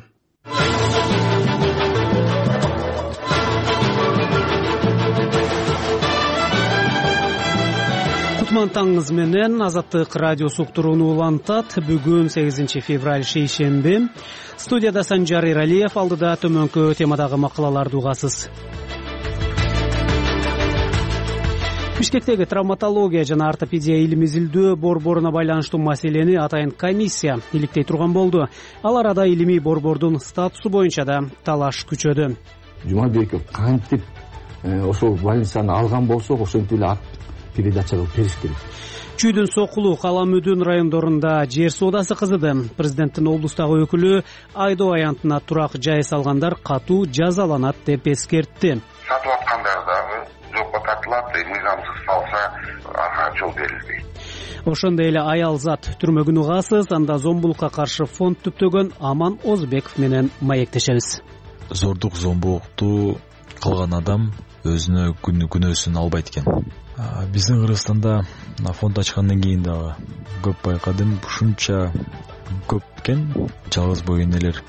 Кутман таңыңыз менен Азаттык радиосу уктурууну улантат. Бүгүн сегизинчи февраль шейшемби. Студияда Санжар Иралиев, алдыда төмөнкү темадагы макалаларды угасыз. Бишкектеги травматология жана ортопедия илим изилдөө борборуна байланыштуу маселени атайын комиссия иликтей турган болду. Ал арада илимий борбордун статусу боюнча да талаш күчөдү. Жумабеков кантип ошол больницаны алган болсок, ошентип эле ак передача кылып бериш керек. Чүйдүн Сокулу, Каламүдүн райондорунда жер соодасы кызыды. Президенттин облустагы өкүлү Айдоо аянтына турак жай салгандар катуу жазаланат деп эскертти. Сатып аткандар дагы жокко тартылат, мыйзамсыз салса ага жол берилбейт. Ошондой эле аял зат түрмөгүн угасыз, анда зомбулукка каршы фонд түптөгөн Аман Озбеков менен маектешебиз. Зордук зомбулукту кылган адам өзүнө күнөөсүн албайт экен. Биздин Кыргызстанда фонд ачкандан кийин дагы көп байкадым, ушунча көп экен жалгыз бой энелер.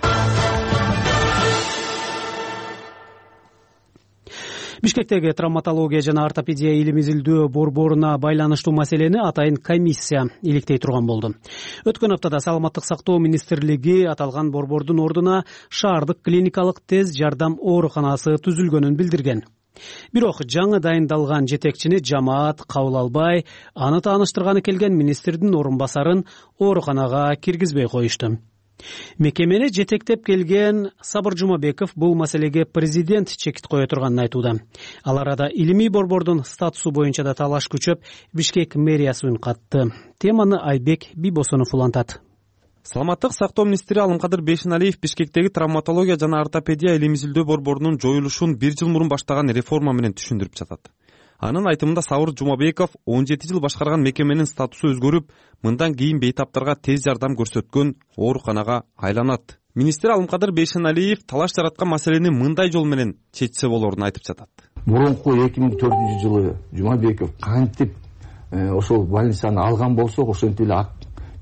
Бишкектеги травматология жана ортопедия илим изилдөө борборуна байланыштуу маселени атайын комиссия иликтей турган болду. Өткөн аптада Саламаттык сактоо министрлиги аталган борбордун ордуна шаардык клиникалык тез жардам ооруканасы түзүлгөнүн билдирген. Бирок жаңы дайындалган жетекчини жамаат кабыл албай, аны тааныштырганы келген министрдин орун басарын ооруканага киргизбей коюшту. Мекемени жетектеп келген Сабыр Жумабеков бул маселеге президент чекит кое турганын айтууда. Ал арада илимий борбордун статусу боюнча да талаш күчөп, Бишкек мэриясы үн катты. Теманы Айбек Бибосонов улантат. Саламаттык сактоо министри Алымкадыр Бейшеналиев Бишкектеги травматология жана ортопедия илим изилдөө борборунун жоюлушун бир жыл мурун баштаган реформа менен түшүндүрүп жатат. Анын айтымында Сабыр Жумабеков он жети жыл башкарган мекеменин статусу өзгөрүп, мындан кийин бейтаптарга тез жардам көрсөткөн ооруканага айланат. Министр Алымкадыр Бейшеналиев талаш жараткан маселени мындай жол менен чечсе болорун айтып жатат. Мурунку эки миң төртүнчү жылы Жумабеков кантип ошол больницаны алган болсок, ошентип эле ак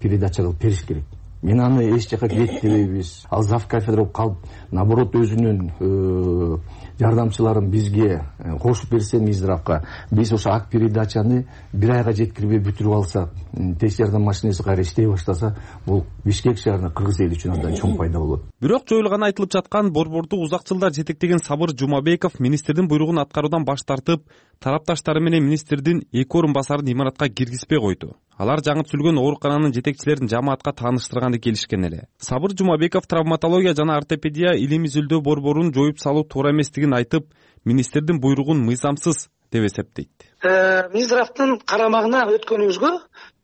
передача кылып бериш керек. Мен аны эч жака киреттебейбиз. Ал зав кафедра калып, наоборот өзүнүн жардамчыларын бизге кошуп берсе Миздравка, биз ошо ак передачаны бир айга жеткирбей бүтүрүп алсак, тез жардам машинеси кайра иштей баштаса, бул Бишкек шаарына, кыргыз эли үчүн андан чоң пайда болот. Бирок жоюлганы айтылып жаткан борборду узак жылдар жетектеген Сабыр Жумабеков министрдин буйругун аткаруудан баш тартып, тарапташтары менен министрдин эки орун басарын имаратка киргизбей койду. Алар жаңы түзүлгөн оорукананын жетекчилерин жамаатка тааныштырганды келишкен эле. Сабыр Жумабеков травматология жана ортопедия илим изилдөө борборун жоюп салуу туура эместигин айтып, министрдин буйругун мыйзамсыз деп эсептейт. Миздравдын карамагына өткөнүбүзгө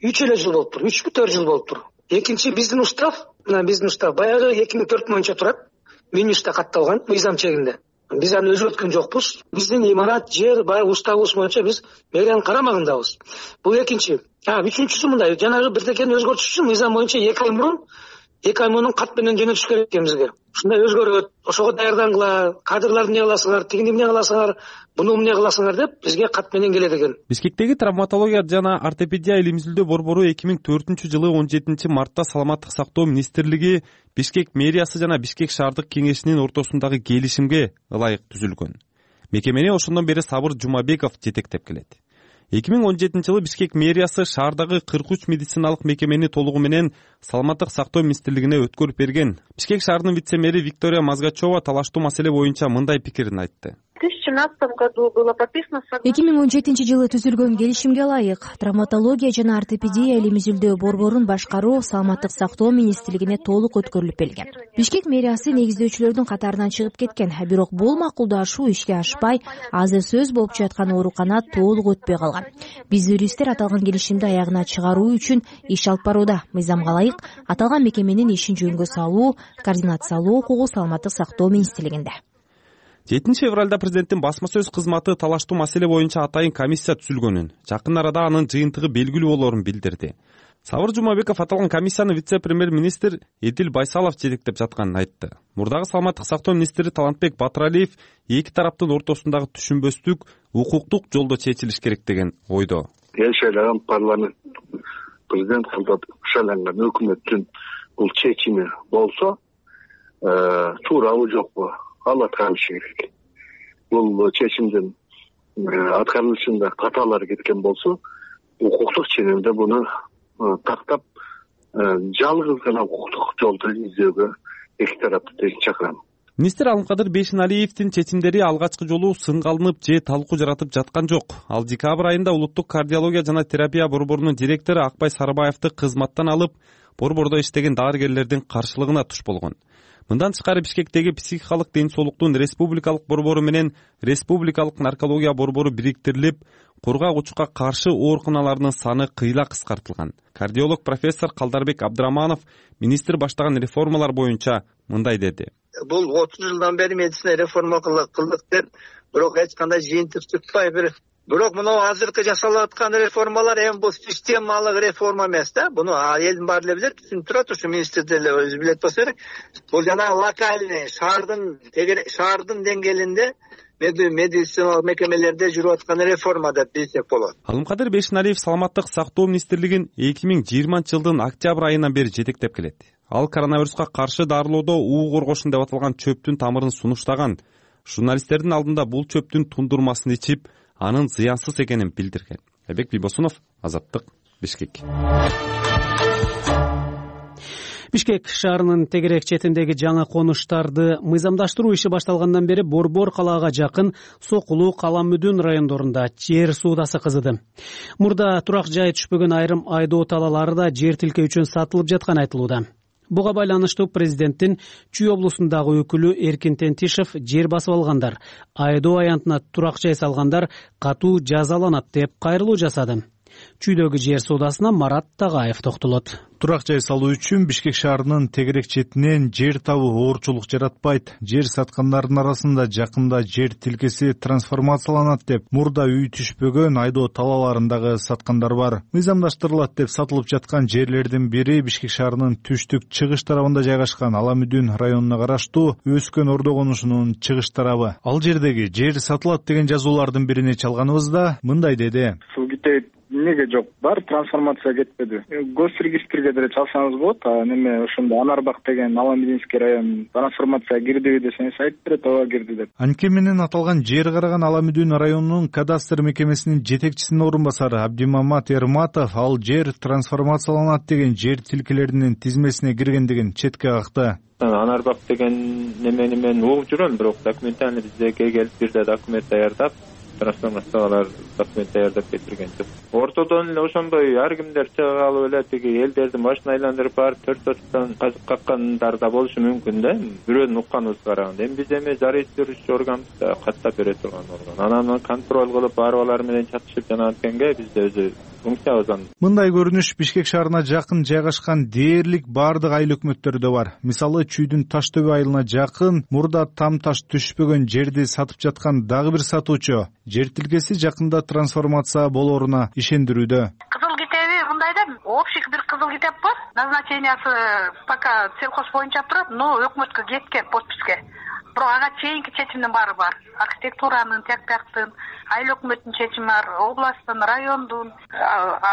үч эле жыл болуптур, үчпү төрт жыл болуптур. Экинчи биздин устав, мына биздин устав баягы эки миң төрт боюнча турат. Минюста катталган мыйзам чегинде. Биз аны өзгөрткөн жокпуз. Биздин имарат, жер баягы уставыбыз боюнча биз мэриянын карамагындабыз. Бул экинчи. А, үчүнчүсү мындай, жанагы бирдекени өзгөртүш үчүн мыйзам боюнча эки ай мурун эки ай мурун кат менен жөнөтүш керек экен бизге. Ушундай өзгөрөт, ошого даярдаңгыла, кадрларды эмне кыласыңар, тигини эмне кыласыңар, буну эмне кыласыңар деп бизге кат менен келет экен. Бишкектеги травматология жана ортопедия илим изилдөө борбору эки миң төртүнчү жылы он жетинчи мартта Саламаттык сактоо министрлиги, Бишкек мэриясы жана Бишкек шаардык кеңешинин ортосундагы келишимге ылайык түзүлгөн. Мекемени ошондон бери Сабыр Жумабеков жетектеп келет. эки миң он жетинчи жылы Бишкек мэриясы шаардагы кырк үч медициналык мекемени толугу менен Саламаттык сактоо министрлигине өткөрүп берген. Бишкек шаарынын вице-мэри Виктория Мазгачева талаштуу маселе боюнча мындай пикирин айтты. В две тысячи семнадцатом году было подписано эки миң он жетинчи жылы түзүлгөн келишимге ылайык травматология жана ортопедия илим изилдөө борборун башкаруу Саламаттык сактоо министрлигине толук өткөрүлүп берилген. Бишкек мэриясы негиздөөчүлөрдүн катарынан чыгып кеткен, бирок бул макулдашуу ишке ашпай, азыр сөз болуп жаткан оорукана толук өтпөй калган. Биз юристтер аталган келишимди аягына чыгаруу үчүн иш алып барууда. Мыйзамга ылайык аталган мекеменин ишин жөнгө салуу, координациялоо укугу Саламаттык сактоо министрлигинде. жетинчи февралда президенттин басма сөз кызматы талаштуу маселе боюнча атайын комиссия түзүлгөнүн, жакын арада анын жыйынтыгы белгилүү болорун билдирди. Сабыр Жумабеков аталган комиссияны вице-премьер-министр Эдил Байсалов жетектеп жатканын айтты. Мурдагы Саламаттык сактоо министри Талантбек Батыралиев эки тараптын ортосундагы түшүнбөстүк укуктук жолдо чечилиш керек деген ойдо. Эл шайланган парламент, президент кылдап шайланган өкмөттүн бул чечими болсо туурабы жокпу ал аткарышы керек. Бул чечимдин аткарылышында каталар кеткен болсо укуктук ченемде буну тактап жалгыз гана укуктук жолду издөөгө эки тарапты тең чакырам. Министр Алымкадыр Бейшеналиевдин чечимдери алгачкы жолу сынга алынып же талкуу жаратып жаткан жок. Ал декабрь айында улуттук кардиология жана терапия борборунун директору Акбай Сарыбаевди кызматтан алып, борбордо иштеген дарыгерлердин каршылыгына туш болгон. Мындан тышкары Бишкектеги психикалык ден соолуктун республикалык борбору менен республикалык наркология борбору бириктирилип, кургак-учукка каршы ооруканаларынын саны кыйла кыскартылган. Кардиолог профессор Калдарбек Абдыраманов министр баштаган реформалар боюнча мындай деди. Бул отуз жылдан бери медицина реформа кылдык деп, бирок эч кандай жыйынтык чыкпай бир бирок мына азыркы жасалып аткан реформалар эми бул системалык реформа эмес да. Буну элдин баары эле билет, түшүнүп турат, ушу министр деле өзү билет болсо керек. Бул жана локальный шаардын шаардын деңгээлинде медициналык мекемелерде жүрүп аткан реформа деп билсек болот. Алымкадыр Бейшеналиев саламаттык сактоо министрлигин эки миң жыйырманчы жылдын октябрь айынан бери жетектеп келет. Ал коронавируска каршы дарылоодо уу коргошун деп аталган чөптүн тамырын сунуштаган. Журналисттердин алдында бул чөптүн тундурмасын ичип, анын зыянсыз экенин билдирген. Айбек Бийбосунов, Азаттык, Бишкек. Бишкек шаарынын тегерек четиндеги жаңы конуштарды мыйзамдаштыруу иши башталгандан бери Борбор калаага жакын Сокулу, Каламүдүн райондорунда жер суудасы кызыды. Мурда турак жай түшпөгөн айрым айдоо талаалары да жер тилке үчүн сатылып жатканы айтылууда. Буга байланыштуу президенттин Чүй облусундагы өкүлү Эркин Тентишев жер басып алгандар, айдоо аянтына турак жай салгандар катуу жазаланат деп кайрылуу жасады. Чүйдөгү жер суудасына Марат Тагаев токтолот. Турак жай салуу үчүн Бишкек шаарынын тегерек четинен жер табуу оорчулук жаратпайт. Жер саткандардын арасында жакында жер тилкеси трансформацияланат деп мурда үй түшпөгөн айдоо талааларындагы саткандар бар. Мыйзамдаштырылат деп сатылып жаткан жерлердин бири Бишкек шаарынын түштүк чыгыш тарабында жайгашкан Аламүдүн районуна караштуу Өскөн Ордо конушунун чыгыш тарабы. Ал жердеги жер сатылат деген жазуулардын бирине чалганыбызда мындай деди. Неге жок? Бар трансформация кетпеди. Госрегистрге деле чалсаңыз болот. А неме ошондо Анарбак деген Аламединский район трансформация кирдиби десеңиз айтып берет, ооба кирди деп. Анткени менен аталган жер караган Аламүдүн районунун кадастр мекемесинин жетекчисинин орун басары Абдимамат Эрматов ал жер трансформацияланат деген жер тилкелеринин тизмесине киргендигин четке какты. Анарбак деген немени мен угуп жүрөм, бирок документально бизге келип бирде документ даярдап трансформациялар документ даярдап кетирген жок. Ортодон эле ошондой ар кимдер чыга алып эле тиги элдердин башын айландырып барып төрт төрттөн казып каккандар да болушу мүмкүн да. Бирөөнүн укканыбызга караганда эми биз эми зарегистрировщик органыбызда каттап бере турган орган. Анан контроль кылып барып алар менен чатышып жана анткенге бизде өзү функциябыз. Мындай көрүнүш Бишкек шаарына жакын жайгашкан дээрлик бардык айыл өкмөттөрдө бар. Мисалы Чүйдүн Таштөбө айылына жакын мурда там таш түшпөгөн жерди сатып жаткан дагы бир сатуучу жер тилкеси жакында трансформация болоруна ишендирүүдө. Кызыл китеби мындай да, общий бир кызыл китеп бар. Назначениясы пока сельхоз боюнча турат, но өкмөткө кеткен подписке. Бирок ага чейинки чечимдин баары бар. Архитектуранын, тияктын, айыл өкмөттүн чечими бар, областтын, райондун.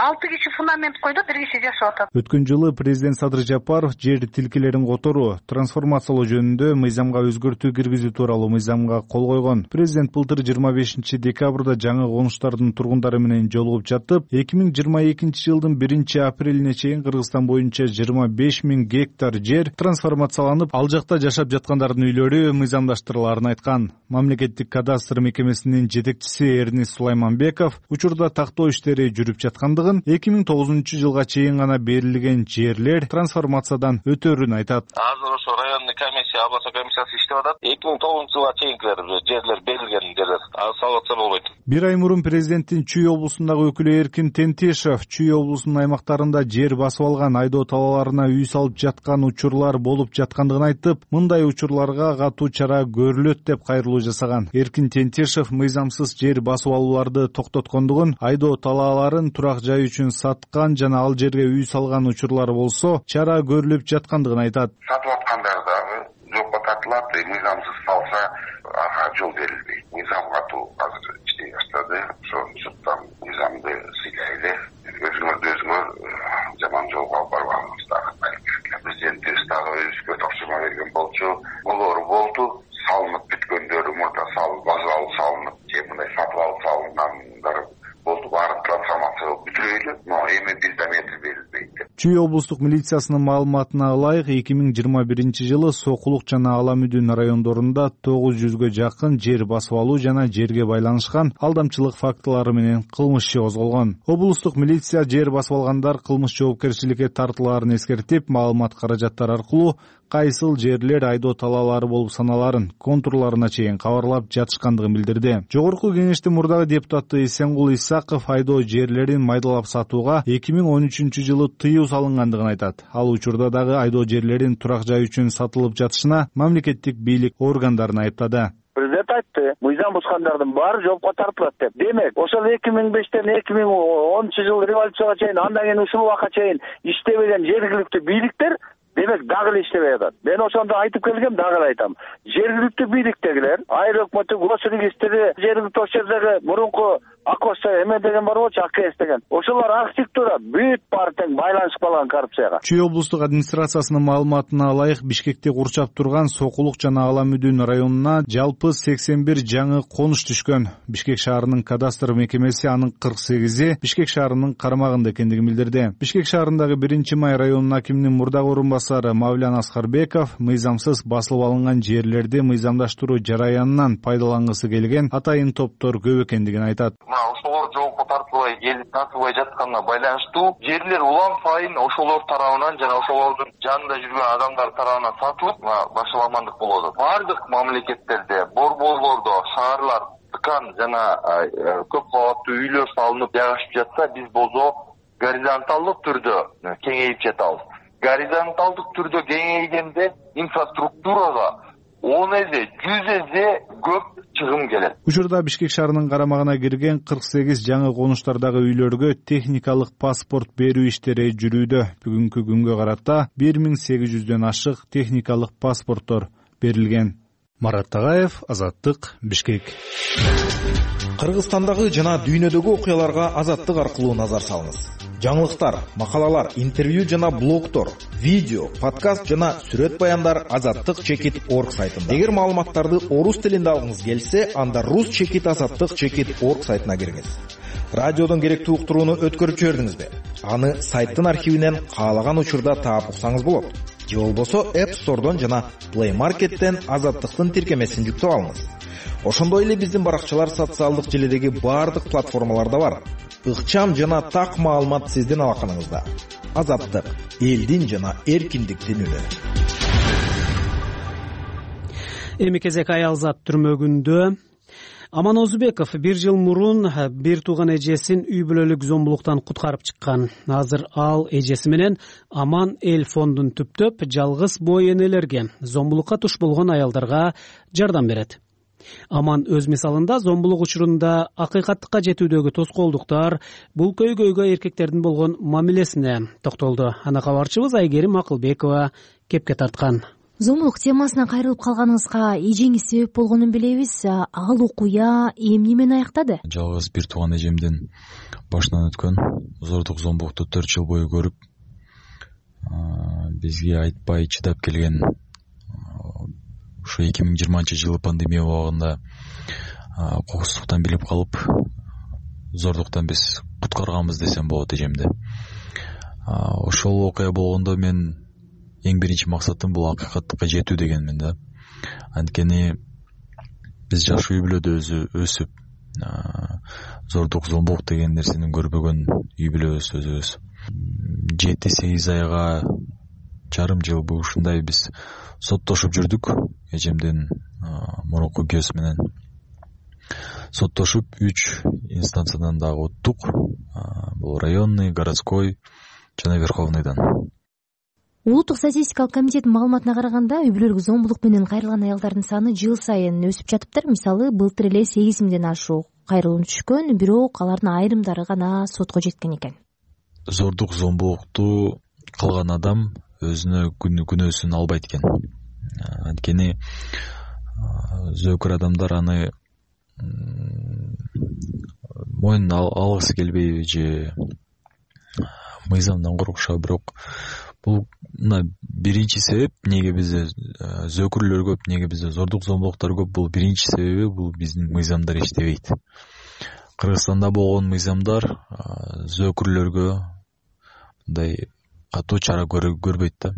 алты киши фундамент койду, бир киши жашап атат. Өткөн жылы президент Садыр Жапаров жер тилкелерин которуу, трансформациялоо жөнүндө мыйзамга өзгөртүү киргизүү тууралуу мыйзамга кол койгон. Президент былтыр жыйырма бешинчи декабрда жаңы конуштардын тургундары менен жолугуп жатып, эки миң жыйырма экинчи жылдын биринчи апрелине чейин Кыргызстан боюнча жыйырма беш миң гектар жер трансформацияланып, ал жакта жашап жаткандардын үйлөрү мыйзамдаштырыларын айткан. Мамлекеттик кадастр мекемесинин жетекчиси Эрнис Сулайманбеков учурда тактоо иштери жүрүп жаткандыгын, эки миң тогузунчу жылга чейин гана берилген жерлер трансформациядан өтөрүн айтат. Азыр ошо районный комиссия, областной комиссиясы иштеп атат. эки миң тогузунчу жылга чейинкилер жерлер берилген жерлер. Ал салып атса болбойт. Бир ай мурун президенттин Чүй облусундагы өкүлү Эркин Тентишев Чүй облусунун аймактарында жер басып алган айдоо талааларына үй салып жаткан учурлар болуп жаткандыгын айтып, мындай учурларга катуу чара көрүлөт деп кайрылуу жасаган. Эркин Тентишев мыйзамсыз жер басып алууларды токтоткондугун, айдоо талааларын турак жай үчүн саткан жана ал жерге үй салган учурлар болсо, чара көрүлүп жаткандыгын айтат. Сатып аткандар дагы жокко тартылат, мыйзамсыз салса ага жол берилбейт. Мыйзам катуу азыр иштей баштады. Ошо жуттан мыйзамды сыйлайлы. Өзүңөрдү өзүңөр жаман жолго алып барбагыңыз дагы. Президент Чүй облустук милициясынын маалыматына ылайык эки миң жыйырма биринчи жылы Сокулук жана Ала Мүдүн райондорунда тогуз жүзгө жакын жер басып алуу жана жерге байланышкан алдамчылык фактылары менен кылмыш иши козголгон. Облустук милиция жер басып алгандар кылмыш жоопкерчиликке тартылаарын эскертип, маалымат каражаттар аркылуу кайсыл жерлер айдоо талаалары болуп саналарын контурларына чейин кабарлап жатышкандыгын билдирди. Жогорку кеңештин мурдагы депутаты Эсенгул Исаков айдоо жерлерин майдалап сатууга эки миң он үчүнчү жылы тыюу салынгандыгын айтат. Ал учурда дагы айдоо жерлерин турак жай үчүн сатылып жатышына мамлекеттик бийлик органдарын айыптады. Президент айтты, мыйзам бузгандардын баары жоопко тартылат деп. Демек, ошол эки миң бештен эки миң онунчу жыл революцияга чейин, андан кийин ушул убакка чейин иштебеген жергиликтүү бийликтер демек дагы эле иштебей атат. Мен ошондо айтып келгем, дагы эле айтам. Жергиликтүү бийликтегилер, айыл өкмөтү, госрегистри, жергиликтүү ошол жердеги мурунку Акош эме деген бар болчу, АКС деген. Ошолор архитектура бүт баары тең байланышып калган коррупцияга. Чүй облустук администрациясынын маалыматына ылайык, Бишкекти курчап турган Сокулук жана Ала Мүдүн районуна жалпы сексен бир жаңы конуш түшкөн. Бишкек шаарынын кадастр мекемеси анын кырк сегизи Бишкек шаарынын карамагында экендигин билдирди. Бишкек шаарындагы биринчи май районунун акиминин мурдагы орун басары Мавлян Аскарбеков мыйзамсыз басылып алынган жерлерди мыйзамдаштыруу жараянынан пайдалангысы келген атайын топтор көп экендигин айтат. Ошолор жоопко тартылбай келип тартылбай жатканына байланыштуу жерлер улам сайын ошолор тарабынан жана ошолордун жанында жүргөн адамдар тарабынан сатылып башаламандык болуп атат. Бардык мамлекеттерде, борборлордо шаарлар тыкан жана көп кабаттуу үйлөр салынып жайгашып жатса, биз болсо горизонталдык түрдө кеңейип жатабыз. Горизонталдык түрдө кеңейгенде инфраструктурага он эзе, жүз эзе көп чыгым келет. Учурда Бишкек шаарынын карамагына кирген кырк сегиз жаңы конуштардагы үйлөргө техникалык паспорт берүү иштери жүрүүдө. Бүгүнкү күнгө карата бир миң сегиз жүздөн ашык техникалык паспорттор берилген. Марат Тагаев, Азаттык, Бишкек. Кыргызстандагы жана дүйнөдөгү окуяларга Азаттык аркылуу назар салыңыз. Жаңылыктар, макалалар, интервью жана блогтор, видео, подкаст жана сүрөт баяндар азаттык чекит орг сайтында. Эгер маалыматтарды орус тилинде алгыңыз келсе, анда рус чекит азаттык чекит орг сайтына кириңиз. Радиодон керектүү уктурууну өткөрүп жибердиңизби? Аны сайттын архивинен каалаган учурда таап уксаңыз болот. Же болбосо App Store'дон жана Play Market'тен азаттыктын тиркемесин жүктөп алыңыз. Ошондой эле биздин баракчалар социалдык желидеги баардык платформаларда бар. Ыкчам жана так маалымат сиздин алаканыңызда. Азаттык, элдин жана эркиндиктин үнү. Эми кезек Аялзат түрмөгүндө. Аман Озубеков бир жыл мурун бир тууган эжесин үй бүлөлүк зомбулуктан куткарып чыккан. Азыр ал эжеси менен Аман эл фондун түптөп жалгыз бой энелерге, зомбулукка туш болгон аялдарга жардам берет. Аман өз мисалында зомбулук учурунда акыйкаттыкка жетүүдөгү тоскоолдуктар, бул көйгөйгө эркектердин болгон мамилесине токтолду. Ана кабарчыбыз Айгерим Акылбекова кепке тарткан. Зомбулук темасына кайрылып калганыңызга эжеңиз себеп болгонун билебиз. Ал окуя эмне менен аяктады? Жалгыз бир тууган эжемдин башынан өткөн зордук зомбулукту төрт жыл бою көрүп, бизге айтпай чыдап келген ушу эки миң жыйырманчы жылы пандемия убагында кокустуктан билип калып, зордуктан биз куткарганбыз десем болот эжемди. Ошол окуя болгондо мен эң биринчи максатым бул акыйкаттыкка жетүү дегенмин да. Анткени биз жаш үй бүлөдө өсүп, зордук зомбулук деген нерсени көрбөгөн үй бүлөбүз өзүбүз. жети сегиз айга жарым жыл бул ушундай биз соттошуп жүрдүк. Эжемдин мурунку күйөөсү менен соттошуп үч инстанциядан дагы өттүк. Бул районный, городской жана верховныйдан. Улуттук статистикалык комитеттин маалыматына караганда, үй бүлөлүк зомбулук менен кайрылган аялдардын саны жыл сайын өсүп жатыптыр. Мисалы, былтыр эле сегиз миңден ашук кайрылуу түшкөн, бирок алардын айрымдары гана сотко жеткен экен. Зордук зомбулукту кылган адам өзүнө күнөөсүн албайт экен. Анткени зөөкөр адамдар аны моюнуна алгысы келбейби же мыйзамдан коркушат, бирок бул мына биринчи себеп, неге бизде зөөкүрлөр көп, неге бизде зордук зомбулуктар көп, бул биринчи себеби бул биздин мыйзамдар иштебейт. Кыргызстанда болгон мыйзамдар зөөкүрлөргө, мындай катуу чара көрбөйт да.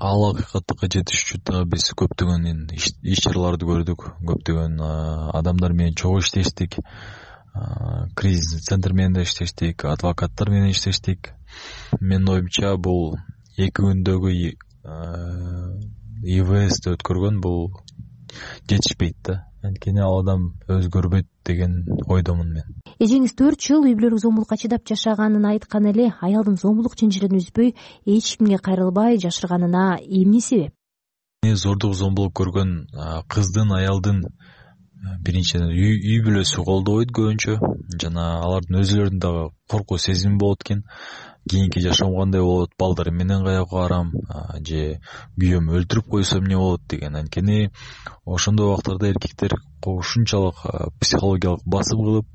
Ал акыйкатка жетиш үчүн дагы биз көптөгөн иш чараларды көрдүк, көптөгөн адамдар менен чогуу иштештик, кризис центр менен да иштештик, адвокаттар менен иштештик. Менин оюмча бул эки күндөгү и вэ эсти өткөргөн бул жетишпейт да. Анткени ал адам өзгөрбөйт деген ойдомун мен. Эжеңиз төрт жыл үй бүлөлүк зомбулукка чыдап жашаганын айткан эле, аялдын зомбулук чынжырын үзбөй, эч кимге кайрылбай жашырганына эмне себеп? Зордук зомбулук көргөн кыздын, аялдын биринчиден үй бүлөсү колдобойт көбүнчө, жана алардын өзүлөрүнүн дагы коркуу сезими болот экен. Кийинки жашоом кандай болот, балдарым менен каяка барам, же күйөөм өлтүрүп койсо эмне болот деген. Анткени ошондой убактарда эркектер ушунчалык психологиялык басым кылып,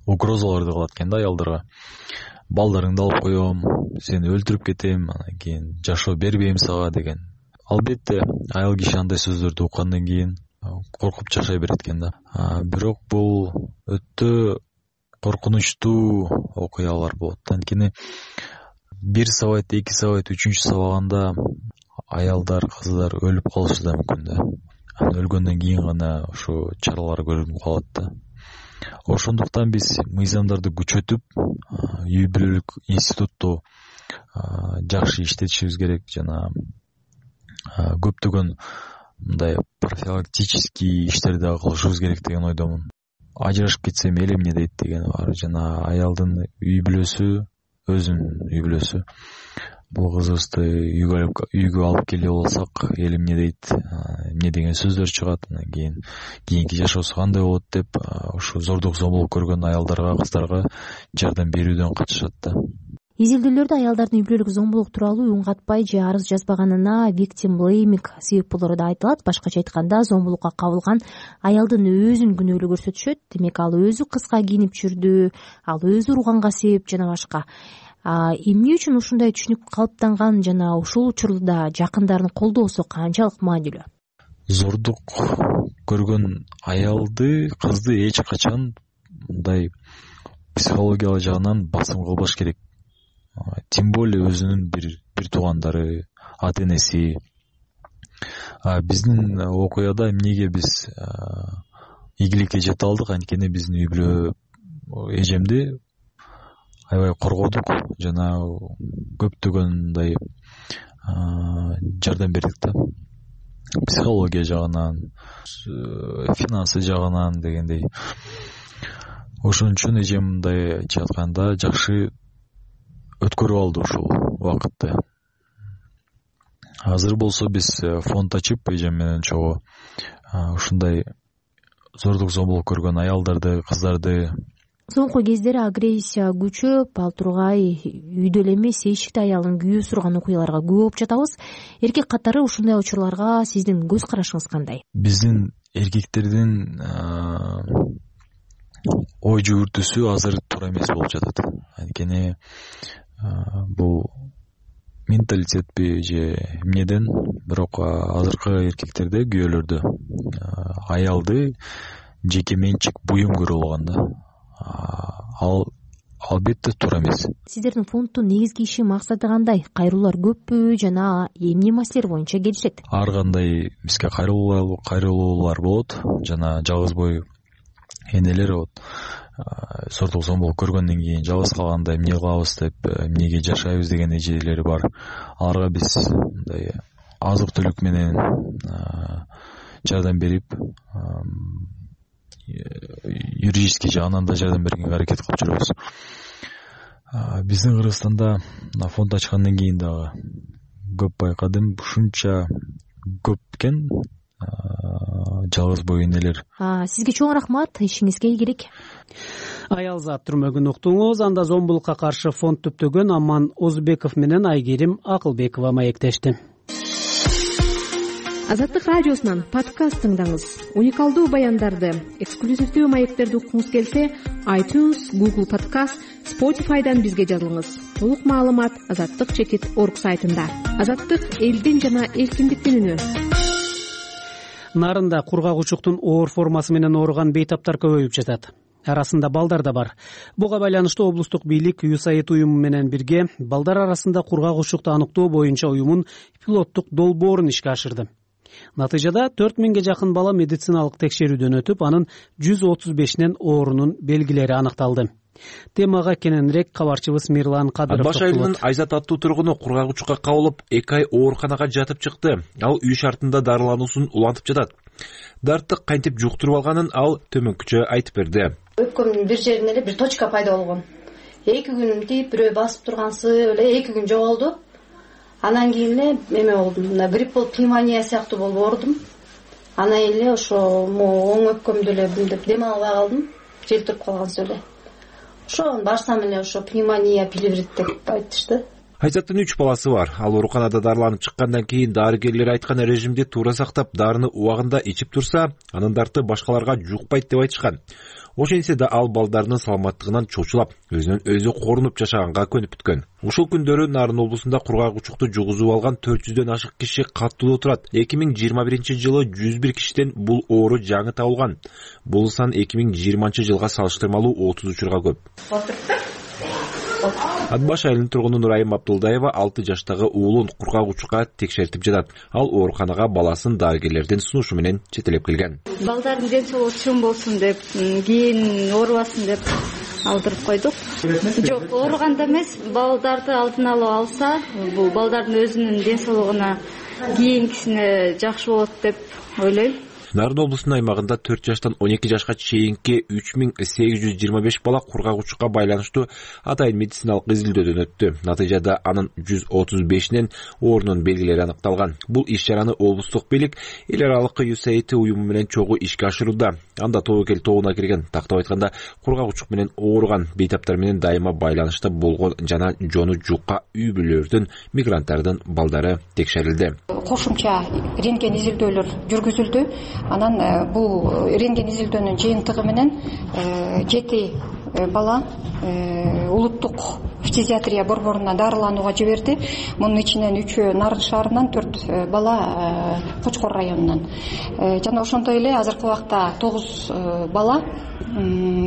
угрозаларды кылат экен да аялдарга. Балдарыңды алып коем, сени өлтүрүп кетем, анан кийин жашоо бербейм сага деген. Албетте аял киши андай сөздөрдү уккандан кийин коркуп жашай берет экен да. Бирок бул өтө коркунучтуу окуялар болот. Анткени бир сабайт, эки сабайт, үчүнчү сабаганда аялдар, кыздар өлүп калышы да мүмкүн да. Анан өлгөндөн кийин гана ушу чаралар көрүнүп калат да. Ошондуктан биз мыйзамдарды күчөтүп, үй бүлөлүк институтту жакшы иштетишибиз керек, жана көптөгөн мындай профилактический иштерди дагы кылышыбыз керек деген ойдомун. Ажырашып кетсем эл эмне дейт деген бар, жана аялдын үй бүлөсү, өзүнүн үй бүлөсү. Бул кызыбызды үйгө алып келе болсак, эл эмне дейт, эмне деген сөздөр чыгат, анан кийин кийинки жашоосу кандай болот деп, ушу зордук зомбулук көргөн аялдарга, кыздарга жардам берүүдөн качышат да. Изилдөөлөрдө аялдардын үй бүлөлүк зомбулук тууралуу үн катпай же арыз жазбаганына victim blaming себеп болору да айтылат. Башкача айтканда, зомбулукка кабылган аялдын өзүн күнөөлүү көрсөтүшөт. Демек, ал өзү кыска кийинип жүрдү, ал өзү урганга себеп жана башка. Эмне үчүн ушундай түшүнүк калыптанган жана ушул учурда жакындарын колдоосу канчалык маанилүү? Зордук көргөн аялды, кызды эч качан мындай психологиялык жагынан басым кылбаш керек. Тем более өзүнүн бир бир туугандары, ата энеси. Биздин окуяда эмнеге биз ийгиликке жете алдык? Анткени биздин үй бүлө эжемди аябай коргодук, жана көптөгөн мындай жардам бердик да. Психология жагынан, финансы жагынан дегендей. Ошон үчүн эжем мындай айтып атканда жакшы өткөрүп алды ушул убакытты. Азыр болсо биз фонд ачып, эжем менен чогуу ушундай зордук зомбулук көргөн аялдарды, кыздарды. Соңку кездери агрессия күчөп, ал тургай үйдө эле эмес, эшикте аялын күйөө сурган окуяларга көп болуп жатабыз. Эркек катары ушундай учурларга сиздин көз карашыңыз кандай? Биздин эркектердин ой жүгүртүүсү азыр туура эмес болуп жатат. Анткени бул менталитетпи же эмнеден, бирок азыркы эркектерде, күйөөлөрдө аялды жеке менчик буюм көрүп алган да. Ал албетте туура эмес. Сиздердин фонддун негизги иши максаты кандай? Кайрылуулар көппү жана эмне маселелер боюнча келишет? Ар кандай бизге кайрылуулар болот, жана жалгыз бой энелер болот. Зордук зомбулук көргөндөн кийин жалгыз калганда эмне кылабыз деп, эмнеге жашайбыз деген эжелери бар. Аларга биз мындай азык түлүк менен жардам берип, юридический жагынан да жардам бергенге аракет кылып жүрөбүз. Биздин Кыргызстанда фонд ачкандан кийин дагы көп байкадым, ушунча көп экен жалгыз бой энелер. Сизге чоң рахмат, ишиңизге ийгилик. Аялзат түрмөгүн уктуңуз. Анда зомбулукка каршы фонд түптөгөн Аман Озбеков менен Айгерим Акылбекова маектешти. Азаттык радиосунан подкаст тыңдаңыз. Уникалдуу баяндарды, эксклюзивдүү маектерди уккуңуз келсе, iTunes, Google Podcast, Spotify'дан бизге жазылыңыз. Толук маалымат азаттык чекит точка орг сайтында. Азаттык — элдин жана эркиндиктин үнү. Нарында кургак учуктун оор формасы менен ооруган бейтаптар көбөйүп жатат. арасында балдар да бар. Буга байланыштуу облустук бийлик юсаид уюму менен бирге балдар арасында кургак учукту аныктоо боюнча уюмун пилоттук долбоорун ишке ашырды. Натыйжада төрт миңге жакын бала медициналык текшерүүдөн өтүп, анын жүз отуз бешинен оорунун белгилери аныкталды. Темага кененирээк кабарчыбыз Мирлан Кадыров. Баш айылынын Айзат аттуу тургуну кургак учукка кабылып, эки ай ооруканага жатып чыкты. Ал үй шартында дарылануусун улантып жатат. Дартты кантип жуктуруп алганын ал төмөнкүчө айтып берди. Өпкөмдүн бир жеринде эле бир точка пайда болгон. эки күн тип бирөө басып тургансы эле эки күн жоголду. Анан кийин эле эме болдум. Мына грипп болуп, пневмония сыяктуу болуп оорудум. Анан эле ошо оң өпкөмдү эле мынтип дем албай калдым. Желтирип калгансыз эле. Ошо барсам эле ошо пневмония, плеврит деп айтышты. Айзаттын үч баласы бар. Ал ооруканада дарыланып чыккандан кийин дарыгерлер айткан режимди туура сактап, дарыны убагында ичип турса, анын дарты башкаларга жукпайт деп айтышкан. Ошентсе да ал балдарынын саламаттыгынан чочулап, өзүнөн өзү корунуп жашаганга көнүп бүткөн. Ушул күндөрү Нарын облусунда кургак учукту жугузуп алган төрт жүздөн ашык киши каттуу турат. эки миң жыйырма биринчи жылы жүз бир кишиден бул оору жаңы табылган. Бул сан эки миң жыйырманчы жылга салыштырмалуу отуз учурга көп. Атбаш айылынын тургуну Нурайым Абдулдаева алты жаштагы уулун кургак учукка текшертип жатат. Ал ооруканага баласын дарыгерлердин сунушу менен жетелеп келген. Балдардын ден соолугу чоң болсун деп, кийин оорубасын деп алдырып койдук. Жок, ооруганда эмес, балдарды алдын ала алса, бул балдардын өзүнүн ден соолугуна кийинкисине жакшы болот деп ойлойм. Нарын облусунун аймагында төрт жаштан он эки жашка чейинки үч миң сегиз жүз жыйырма беш бала кургак учукка байланыштуу атайын медициналык изилдөөдөн өттү. Натыйжада анын жүз отуз бешинен оорунун белгилери аныкталган. Бул иш-чараны облустук бийлик эл аралык юсаид уюму менен чогуу ишке ашырууда. Анда тобокел тобуна кирген, тактап айтканда, кургак учук менен ооруган, бейтаптар менен дайыма байланышта болгон жана жону жукка үй бүлөлөрдүн, мигранттардын балдары текшерилди. Кошумча рентген изилдөөлөр жүргүзүлдү. Анан бул рентген изилдөөнүн жыйынтыгы менен жети бала улуттук фтизиатрия борборуна дарыланууга жиберди. Мунун ичинен үчөө Нарын шаарынан, төрт бала Кочкор районунан. Жана ошондой эле азыркы убакта тогуз бала,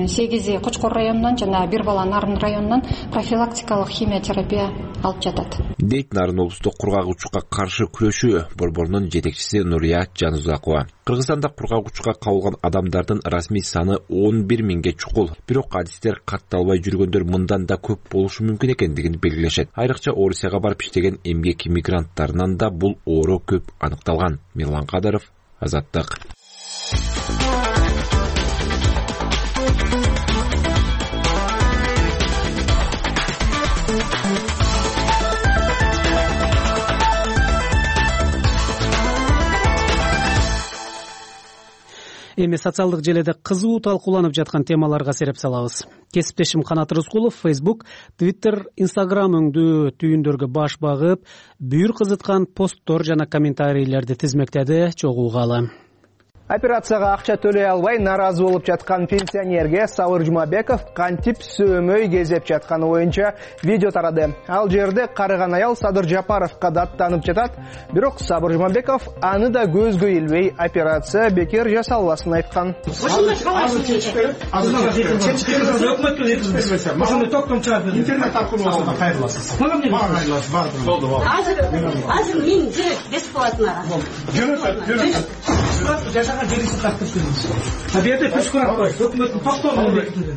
сегизи Кочкор районунан жана бир бала Нарын районунан профилактикалык химиотерапия алып жатат. Дейт Нарын облустук кургак учукка каршы күрөшүү борборунун жетекчиси Нурия Жанузакова. Кыргызстанда кургак учукка кабылган адамдардын расмий саны он бир миңге чукул. Бирок адистер катталбай жүргөндөр мындан да көп болушу мүмкүн экендигин белгилешет. Айрыкча Орусияга барып иштеген эмгек мигранттарынан да бул оору көп аныкталган. Мирлан Кадыров, Азаттык. Эми социалдык желеде кызуу талкууланып жаткан темаларга сереп салабыз. Кесиптешим Канат Рыскулов Facebook, Twitter, Instagram өңдүү түйүндөргө баш багып, бүйүр кызыткан посттор жана комментарийлерди тизмектеди. Чогуу угалы. Операцияга акча төлөй албай наразы болуп жаткан пенсионерге Сабыр Жумабеков кантип сөөмөй кезеп жатканы боюнча видео тарады. Ал жерде карыган аял Садыр Жапаровго даттанып жатат, бирок Сабыр Жумабеков аны да көзгө илбей операция бекер жасалбасын айткан. Интернет аркылуу кайрыласыз. Азыр азыр мен же бесплатно. Жашаған жерісі тақтып көріңіз. Табиғатты күш көріп қой. Өкіметтің тоқтауын бекітілді.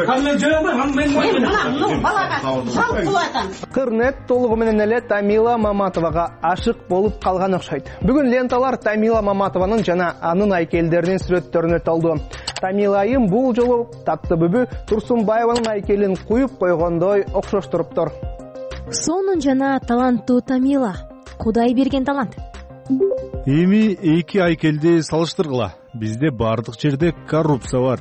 Ал мен жөй алмайм, мен мойын балаға жалп қылатам. Кырнет толугу менен эле Тамила Маматовага ашык болуп калган окшойт. Бүгүн ленталар Тамила Маматованын жана анын айкелдеринин сүрөттөрүнө толду. Тамила айым бул жолу Таттыбүбү Турсунбаеванын айкелин куюп койгондой окшоштуруптур. Сонун жана таланттуу Тамила. Кудай берген талант. Эми эки айкелди салыштыргыла. Бизде бардык жерде коррупция бар.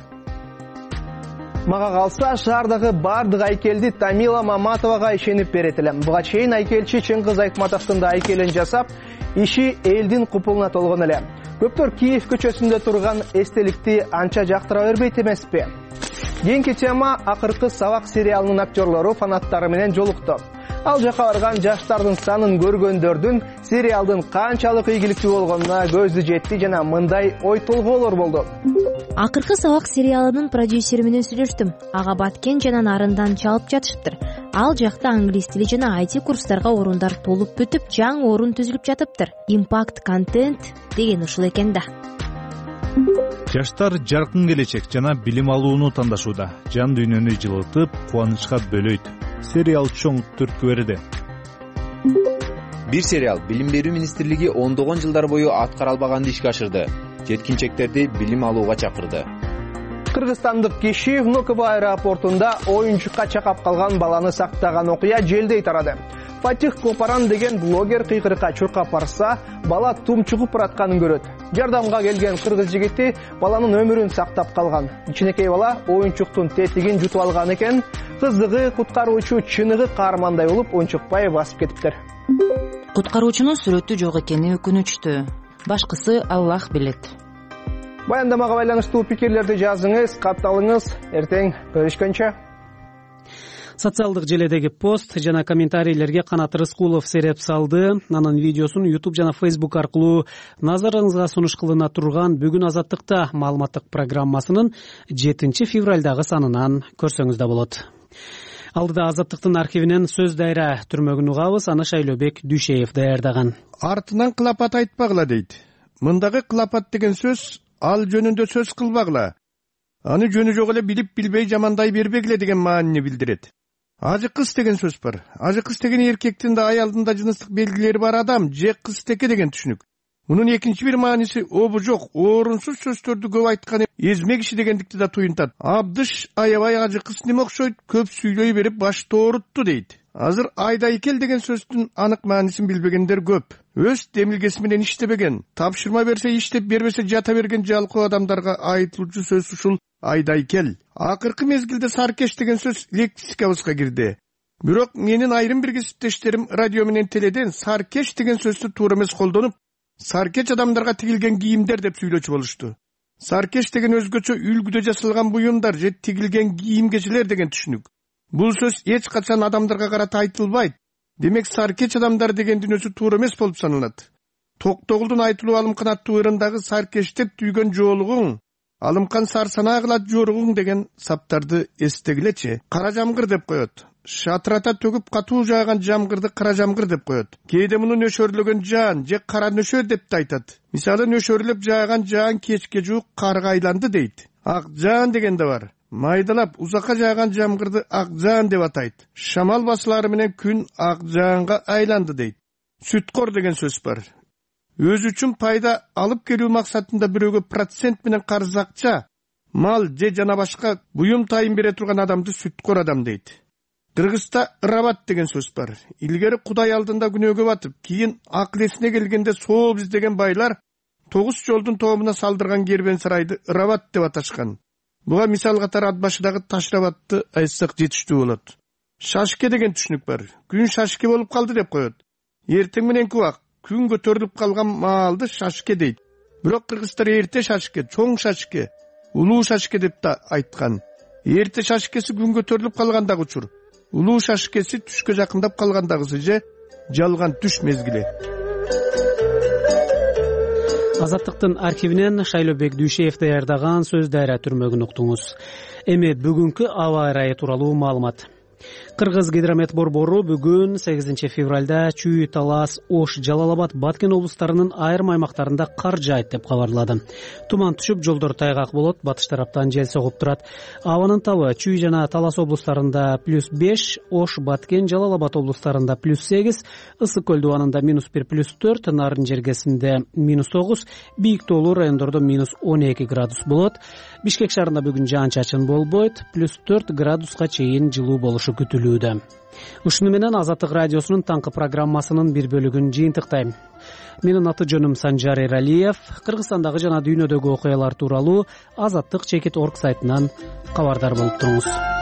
Мага калса, шаардагы бардык айкелди Тамила Маматовага ишенип берет элем. Буга чейин айкелчи Чыңгыз Айтматовдун да айкелин жасап, иши элдин купулуна толгон эле. Көптөр Киев көчөсүндө турган эстеликти анча жактыра бербейт эмеспи? Кийинки тема акыркы Сабак сериалынын актерлору фанаттары менен жолукту. Ал жака барган жаштардын санын көргөндөрдүн сериалдын канчалык ийгиликтүү болгонуна көзү жетти жана мындай ой толгоолор болду. Акыркы сабак сериалынын продюсери менен сүйлөштүм. Ага баткен жана нарындан чалып жатышыптыр. Ал жакта англис тили жана ай ти курстарга орундар толуп бүтүп, жаңы орун түзүлүп жатыптыр. Impact контент деген ушул экен да. Жаштар жаркын келечек жана билим алууну тандашууда. Жан дүйнөнү жылытып, кубанычка бөлөйт. Сериал чоң түрткү берди. Бир сериал Билим берүү министрлиги ондогон жылдар бою аткара албаганды ишке ашырды. Жеткинчектерди билим алууга чакырды. Кыргызстандык киши Внуково аэропортунда оюнчукка чакап калган баланы сактаган окуя желдей тарады. Фатих Копаран деген блогер кыйкырыкка чуркап барса, бала тумчугуп баратканын көрөт. Жардамга келген кыргыз жигити баланын өмүрүн сактап калган. Кичинекей бала оюнчуктун тетигин жутуп алган экен. Кыздыгы куткаруучу чыныгы каармандай болуп унчукпай басып кетиптир. Куткаруучунун сүрөтү жок экени өкүнүчтүү. Башкысы Аллах билет. Баяндамага байланыштуу пикирлерди жазыңыз, катталыңыз. Эртең көрүшкөнчө. Социалдык желедеги пост жана комментарийлерге Канат Рыскулов сереп салды. Анын видеосун YouTube жана Facebook аркылуу назарыңызга сунуш кылына турган Бүгүн Азаттыкта маалыматтык программасынын жетинчи февралдагы санынан көрсөңүз да болот. Алдыда Азаттыктын архивинен сөз дайра түрмөгүн угабыз. Аны Шайлообек Дүйшеев даярдаган. Артынан кылапат айтпагыла дейт. Мындагы кылапат деген сөз ал жөнүндө сөз кылбагыла. Аны жөнү жок эле билип билбей жамандай бербегиле деген маанини билдирет. Ажы кыз деген сөз бар. Ажы кыз деген эркектин да аялдын да жыныстык белгилери бар адам же кызтеке деген түшүнүк. Мунун экинчи бир мааниси обу жок, орунсуз сөздөрдү көп айткан эзме киши дегендикти да туюнтат. Абдыш аябай ажы кыз неме окшойт, көп сүйлөй берип баш тоорутту дейт. Азыр айдайкел деген сөздүн анык маанисин билбегендер көп. Өз демилгеси менен иштебеген, тапшырма берсе иштеп, бербесе жата берген жалкоо адамдарга айтылуучу сөз ушул айдайкел. Акыркы мезгилде саркеш деген сөз лексикабызга кирди. Бирок менин айрым бир кесиптештерим радио менен теледен саркеш деген сөздү туура эмес колдонуп, саркеч адамдарга тигилген кийимдер деп сүйлөчү болушту. Саркеш деген өзгөчө үлгүдө жасалган буюмдар же тигилген кийим-кечелер деген түшүнүк. Бул сөз эч качан адамдарга карата айтылбайт. Демек саркеч адамдар дегендин өзү туура эмес болуп саналат. Токтогулдун айтылуу Алымкан аттуу ырындагы саркештеп түйгөн жоолугуң, Алымкан сарсанаа кылат жоругуң деген саптарды эстегилечи. Кара жамгыр деп коет. Шатырата төгүп катуу жааган жамгырды кара жамгыр деп коет. Кээде муну нөшөрлөгөн жаан же кара нөшөр деп да айтат. Мисалы нөшөрлөп жааган жаан кечке жуук карга айланды дейт. Ак жаан деген да бар. Майдалап узакка жааган жамгырды ак жаан деп атайт. Шамал басылары менен күн ак жаанга айланды дейт. Сүткор деген сөз бар. Өз үчүн пайда алып келүү максатында бирөөгө процент менен карыз акча, мал же жана башка буюм тайын бере турган адамды сүткор адам дейт. Кыргызда ырабат деген сөз бар. Илгери Кудай алдында күнөөгө батып, кийин акыл эсине келгенде соо издеген байлар тогуз жолдун тоомуна салдырган кербен сарайды ырабат деп аташкан. Буга мисал катары ат башыдагы Ташрабатты айтсак жетиштүү болот. Шашке деген түшүнүк бар. Күн шашке болуп калды деп коет. Эртең мененки убак күн көтөрүлүп калган маалды шашке дейт. Бирок кыргыздар эрте шашке, чоң шашке, улуу шашке деп да айткан. Эрте шашкеси күн көтөрүлүп калгандагы учур. Улуу шашкеси түшкө жакындап калгандагысы же жалган түш мезгили. Азаттыктын архивинен Шайлообек Дүйшеев даярдаган сөз дайра түрмөгүн уктуңуз. Эми бүгүнкү аба ырайы тууралуу маалымат. Кыргыз гидромет борбору бүгүн сегизинчи февралда Чүй, Талас, Ош, Жалал Абад, Баткен облустарынын айрым аймактарында кар жаайт деп кабарлады. Туман түшүп, жолдор тайгак болот, батыш тараптан жел согуп турат. Абанын табы Чүй жана Талас облустарында плюс беш, Ош, Баткен, Жалал Абад облустарында плюс сегиз, Ысык көл дубанында минус бир, плюс төрт, Нарын жергесинде минус тогуз, бийик тоолуу райондордо минус он эки градус болот. Бишкек шаарында бүгүн жаан-чачын болбойт, плюс төрт градуска чейин жылуу болушу күтүлүүдө. Ушуну менен Азаттык радиосунун таңкы программасынын бир бөлүгүн жыйынтыктайм. Менин аты жөнүм Санжар Эралиев. Кыргызстандагы жана дүйнөдөгү окуялар тууралуу Азаттык чекит орг сайтынан кабардар болуп туруңуз.